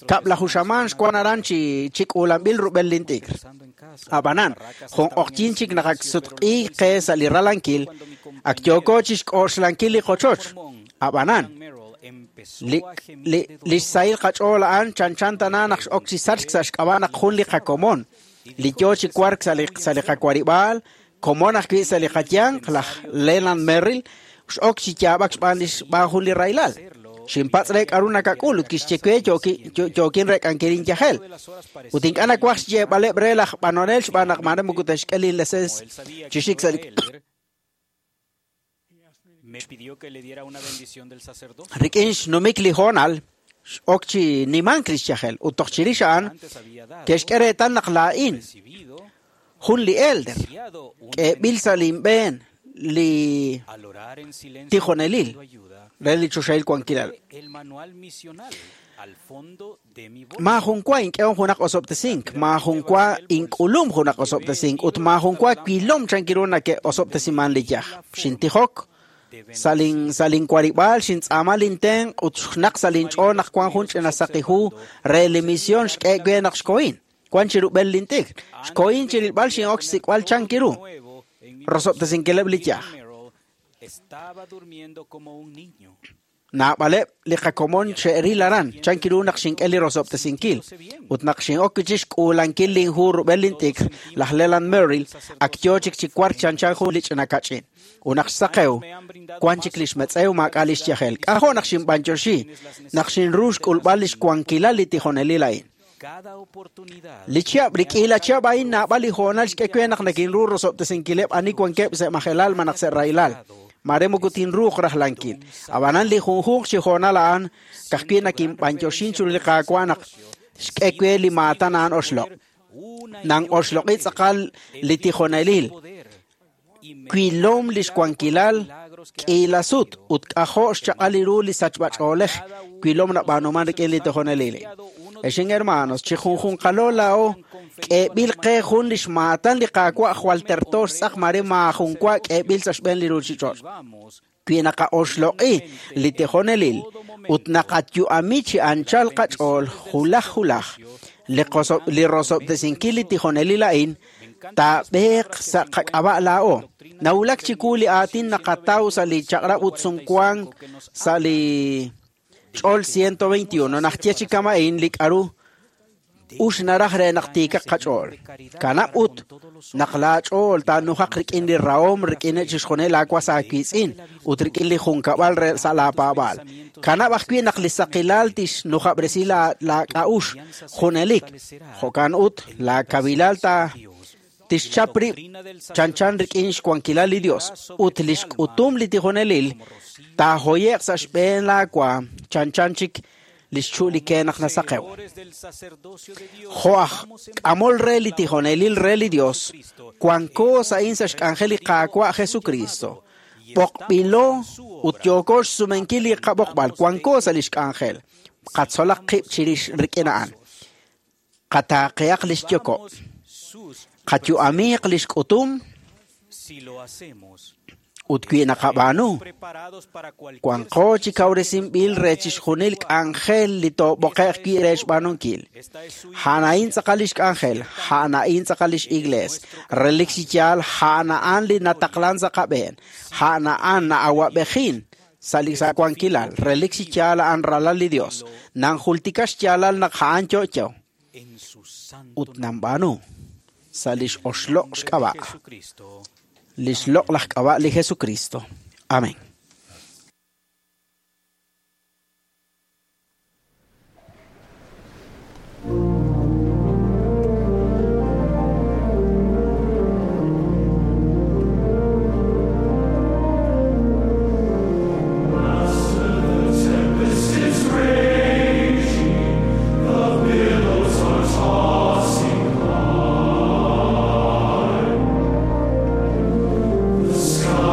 Kab'laju xamaan xwan aran chi k'uulanb'il rub'el lint'ikr. Ab'anan, jun q'oqyin chik naq ak sutq'i qe sa' li ralankil, ak yooko chi xk'oxlankil li qochoch. Ab'anan, li xsahil qach'ool a'an chanchan tana naq x'ok chi sachk sa' xk'ab'a' naq jun li qakomon, li yo chi wark sa' li qawarib'aal, komon ajwi' sa' li qayanq, laj Leland Merrill, x'ok chi yaab'ak xb'aan jun li rahilal. Xinpatz' re k'aru nakak'ul ut kixye we yookin rek'ankil inyajel. Ut ink'a' nawaj xyeeb'aleb' re laj b'anonel xb'aan naq maare moko te'xk'e linleseens chi xik sa' li Rik'in xnumik li hoonal x'ok chi nimank li xyajel ut toj chirix a'an ke'xk'e reetal naq laa'in jun li elder k'eeb'il sa' linb'een li tijonelil re li choxahil wankilal. Maajun wa ink'ehom junaq osob'tesink, maajun wa ink'ulum junaq osob'tesink ut maajun wa wilom chankiru nake'osob'tesiman li yaj. Xintijok sa' linwarib'aal, xintz'aama lintenq' ut xnaq sa' linch'ool naq wan jun ch'ina saqi hu re li misión xk'e we naq xkohin. Wan chi rub'el lint'ikr. Xkohin chi rilb'al xin'ok xsik'b'al chankiru. Rosob'tesinkileb' li yaj. Naab'aleb' li qakomon xe'ril aran chankiru naq xink'e li rosob'tesinkil ut naq xin'ok chi xk'uulankil linhu rub'el lint'ikr laj Leland Merrill ak yo chik chi wark chanchan jun li ch'ina kach'in. Ut naq xsaqew wan chik li xmetz'ew maak'a' li xyajel. K'ajo' naq xinb'anyoxi naq xinru xk'ulb'al li xwankilal li tijonelil a'in. Li chihab' rik'in la chihab' a'in naab'al li hoonal xk'e we naq nakinru rosob'tesinkileb' ani wankeb' sa' majelal malaj sa' rahilal. Mare moko tinruuq rajlankil. Ab'anan li junjunq chi hoonal a'an ka'ajwi' nakinb'anyoxin chiru li Qaawa' naq xk'e we li maatan a'an oxloq'. Nan oxloq'i tz'aqal li tijonelil. Wilom li xwankilal k'iila sut ut k'ajo' xchaq'al ru li sachb'ach'oolej wilom nab'aanuman rik'in li tijonelil. Exin hermanos, chi junjunqalo laa'o k'eeb'il qe jun li xmaatan li Qaawa' jwal terto xtz'aq mare maajun wa k'eeb'il sa' xb'een li ruuchich'och'. Wi naqa'oxloq'i li tijonelil ut naqayu'ami chi anchal qach'ool julaj julaj, li rosob'tesinkil li tijonelil a'in taab'eeq sa' qak'ab'a' laa'o. Nawulak chiwu li aatin naqataw sa' li chaq'rab' ut sumwank sa' li ch'ol 121 naq ye chi kama'in li k'aru ux naraj re naq tiikaq qach'ool. Kanab' ut naq laach'ool taanujaq rik'in li rahom rik'in chixjunil laawas aawiitz'in ut rik'in li junkab'al re sa' laapaab'aal. Kanab' ajwi' naq li saqilal tixnujab'resi laak'a'ux junelik. Jo'kan ut laakawilal tixchap rib' chanchan rik'in xwankilal li Dios ut li xk'utum li tijonelil taajoye'q sa' xb'een laawa chanchan chik li xchu' li ke naq nasaqew. Jo' aj k'amol re li tijonelil re li Dios, wanko sa'in sa' xk'anjel li Qaawa' Jesucristo. B'oqb'ilo ut yooko xsumenkil li qab'oqb'al, wanko sa' li xk'anjel. Qatzolaq qib' chirix rik'in a'an. Qataaqehaq li xyoko'. Qayu'amiiq li xk'utum ut wi naqab'aanu, wanqo chi kawresinb'il re chixjunil k'anjel li toob'oqe'q wi' re xb'aanunkil. A'an a'in tz'aqal li xk'anjel, a'an a'in tz'aqal li x'iglees, relik chi yaal a'an a'an li nataqlan sa' qab'een, a'an a'an na'awab'ejin sa' li wankilal, relik chi yaal a'an ralal li Dios, nanjultika xyaalal naq a'an yo'yo ut nanb'aanu sa' li x'oxloq' xk'ab'a'. Li xloq' laj k'ab'a' li Jesucristo. Amén. The sky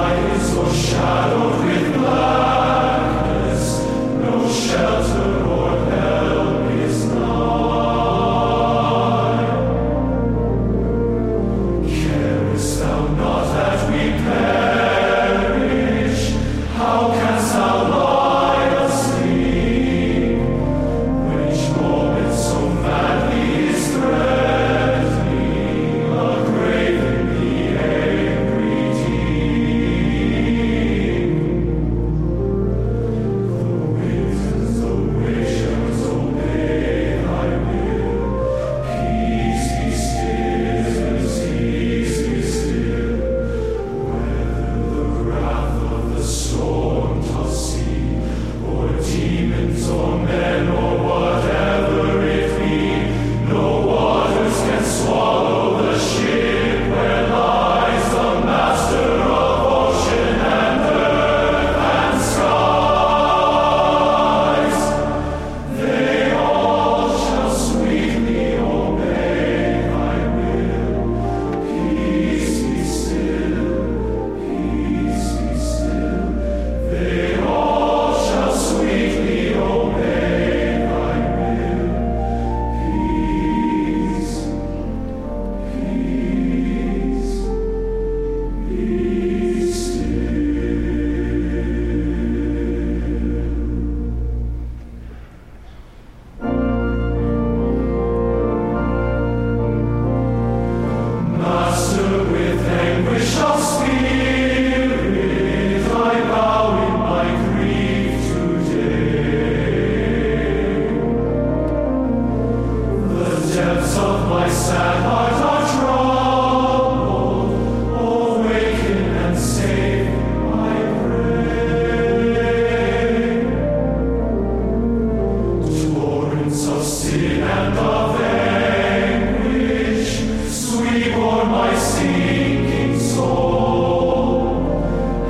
sinking soul.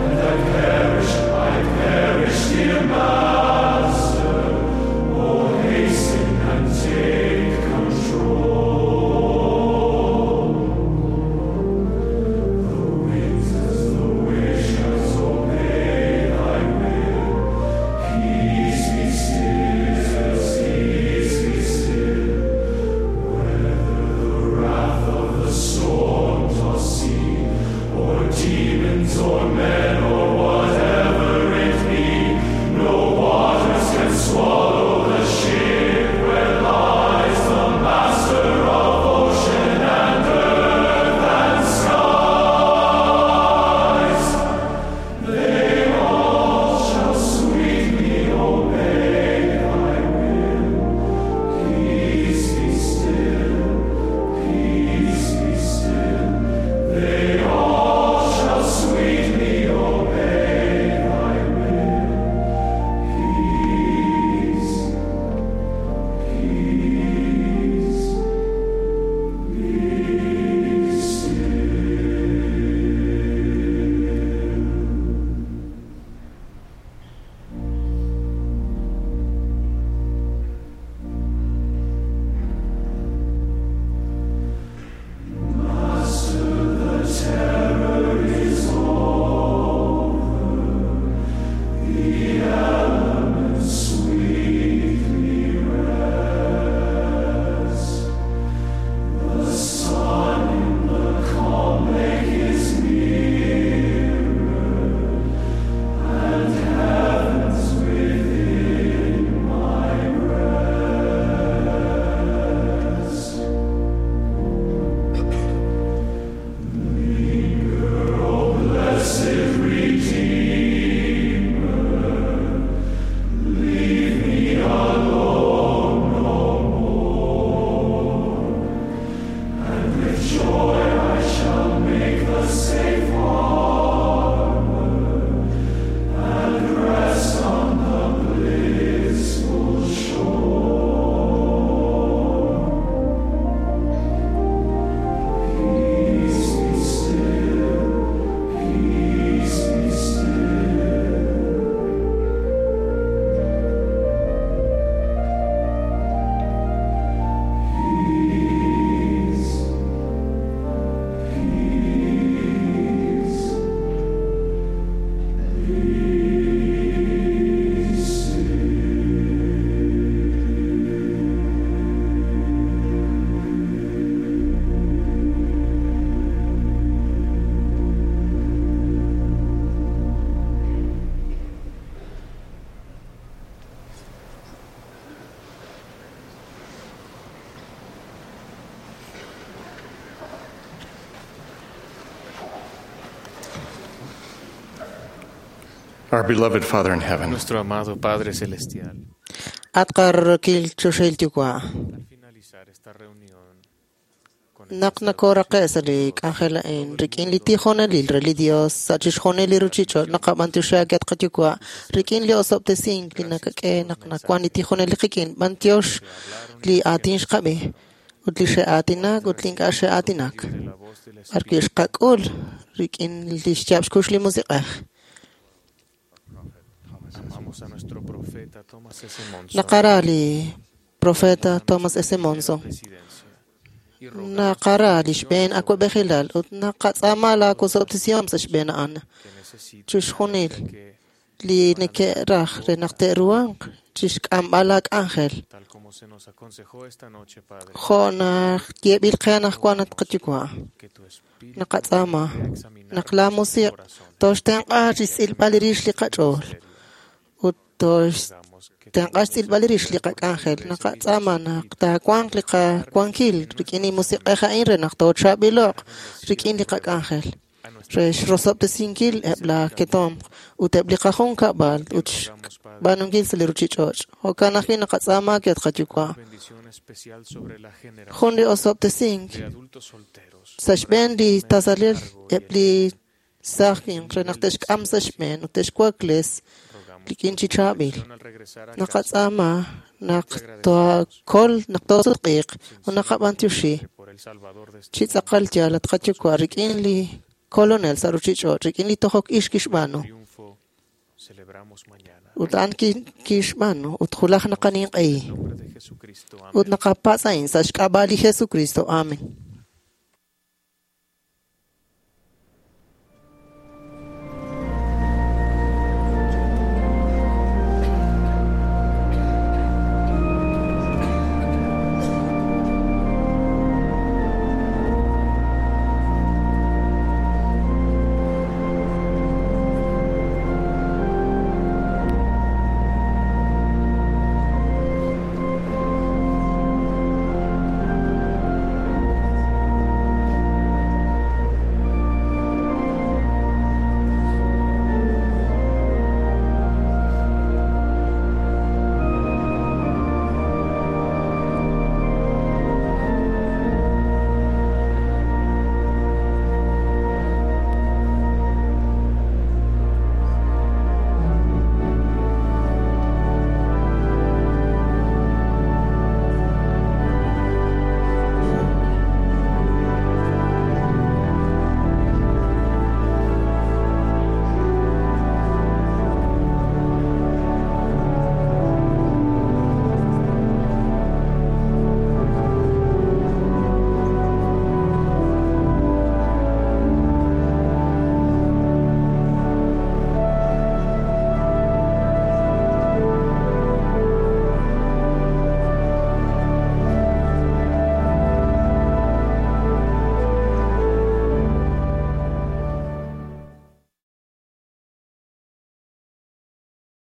And I perish, dear Master. Oh, hasten and take control. The winds as the wishers obey thy will. Peace be still, peace be still. Whether the wrath of the storm-tossed sea, or demons or men or whatever it be, no waters can swallow the ship where lies the master of ocean and earth and skies. They all shall sweetly obey thy will. Peace be still, peace be still. They all shall sweetly obey thy will. Peace, peace, be still. Master, the terror is over. The elements sweetly rest. The sun in the calm lake is nearer, and heaven's within my breast. Linger, O blessed Redeemer, leave me alone no more, and with joy I shall make the safe harbor, and rest on the blissful shore. Peace be still, peace be still. Peace, peace, be still. Our beloved Father in heaven, Nuestro amado Padre Celestial, At qararokil choxahil yuwa'. Naq nakoraqe' sa' li k'anjel a'in rik'in li tijonelil re li Dios sa' chixjunil li ruchich'och' naqab'antioxi at qayuwa' rik'in li osob'tesink li nakak'e naq nawan li tijonelil qik'in b'antiox li aatin xqab'i ut li xe'aatinak ut li ink'a' xe'aatinak b'arwi' xqak'ul rik'in li xyaab' xkux li musiq'ej. Amamos a nuestro profeta Thomas S. Monson. Naqara li profeta Thomas S. Monson. Naqara li xb'een awab'ejilal ut naqatz'aama laawosob'tesihom sa' xb'een a'an. Chixjunil li neke'raj re naq te'ruhanq chixk'amb'al laak'anjel. Tal como se nos aconsejó esta noche, Padre, Jo' naq yeeb'il qe anaqwan at qayuwa'. Naqatz'aama naq laamusiq' toxtenq'a chixtz'ilb'al rix li qach'ool ut toxtenq'a xtz'ilb'al rix li qak'anjel. Naqatz'aama naq taawanq li qawankil rik'in li musiq'ej a'in re naq toochaab'ilo'q rik'in li qak'anjel re xrosob'tesinkil eb' la ketomq ut eb' li qajunkab'al ut xb'aanunkil sa' li ruchich'och'. Jo'kan ajwi' naqatz'aama ke at qayuwa'. bendición especial sobre la generación Jun li osob'tesink de adultos solteros. sa' xb'een li tasalil eb' li saaj winq re naq te'xk'am sa' xb'een ut te'xwakles rik'in chi chaab'il. Naqatz'aama Naq toakol naq toosutq'iiq ut naqab'antioxi chi tz'aqal yaal at qaYuwa' rik'in li Kolonel sa' ruchich'och', rik'in li tojok ix kixb'aanu. Ut a'an kixb'aanu ut julaj naqaninq'ehi. Ut naqapatz' a'in sa' xk'ab'a' li Jesucristo. Amen.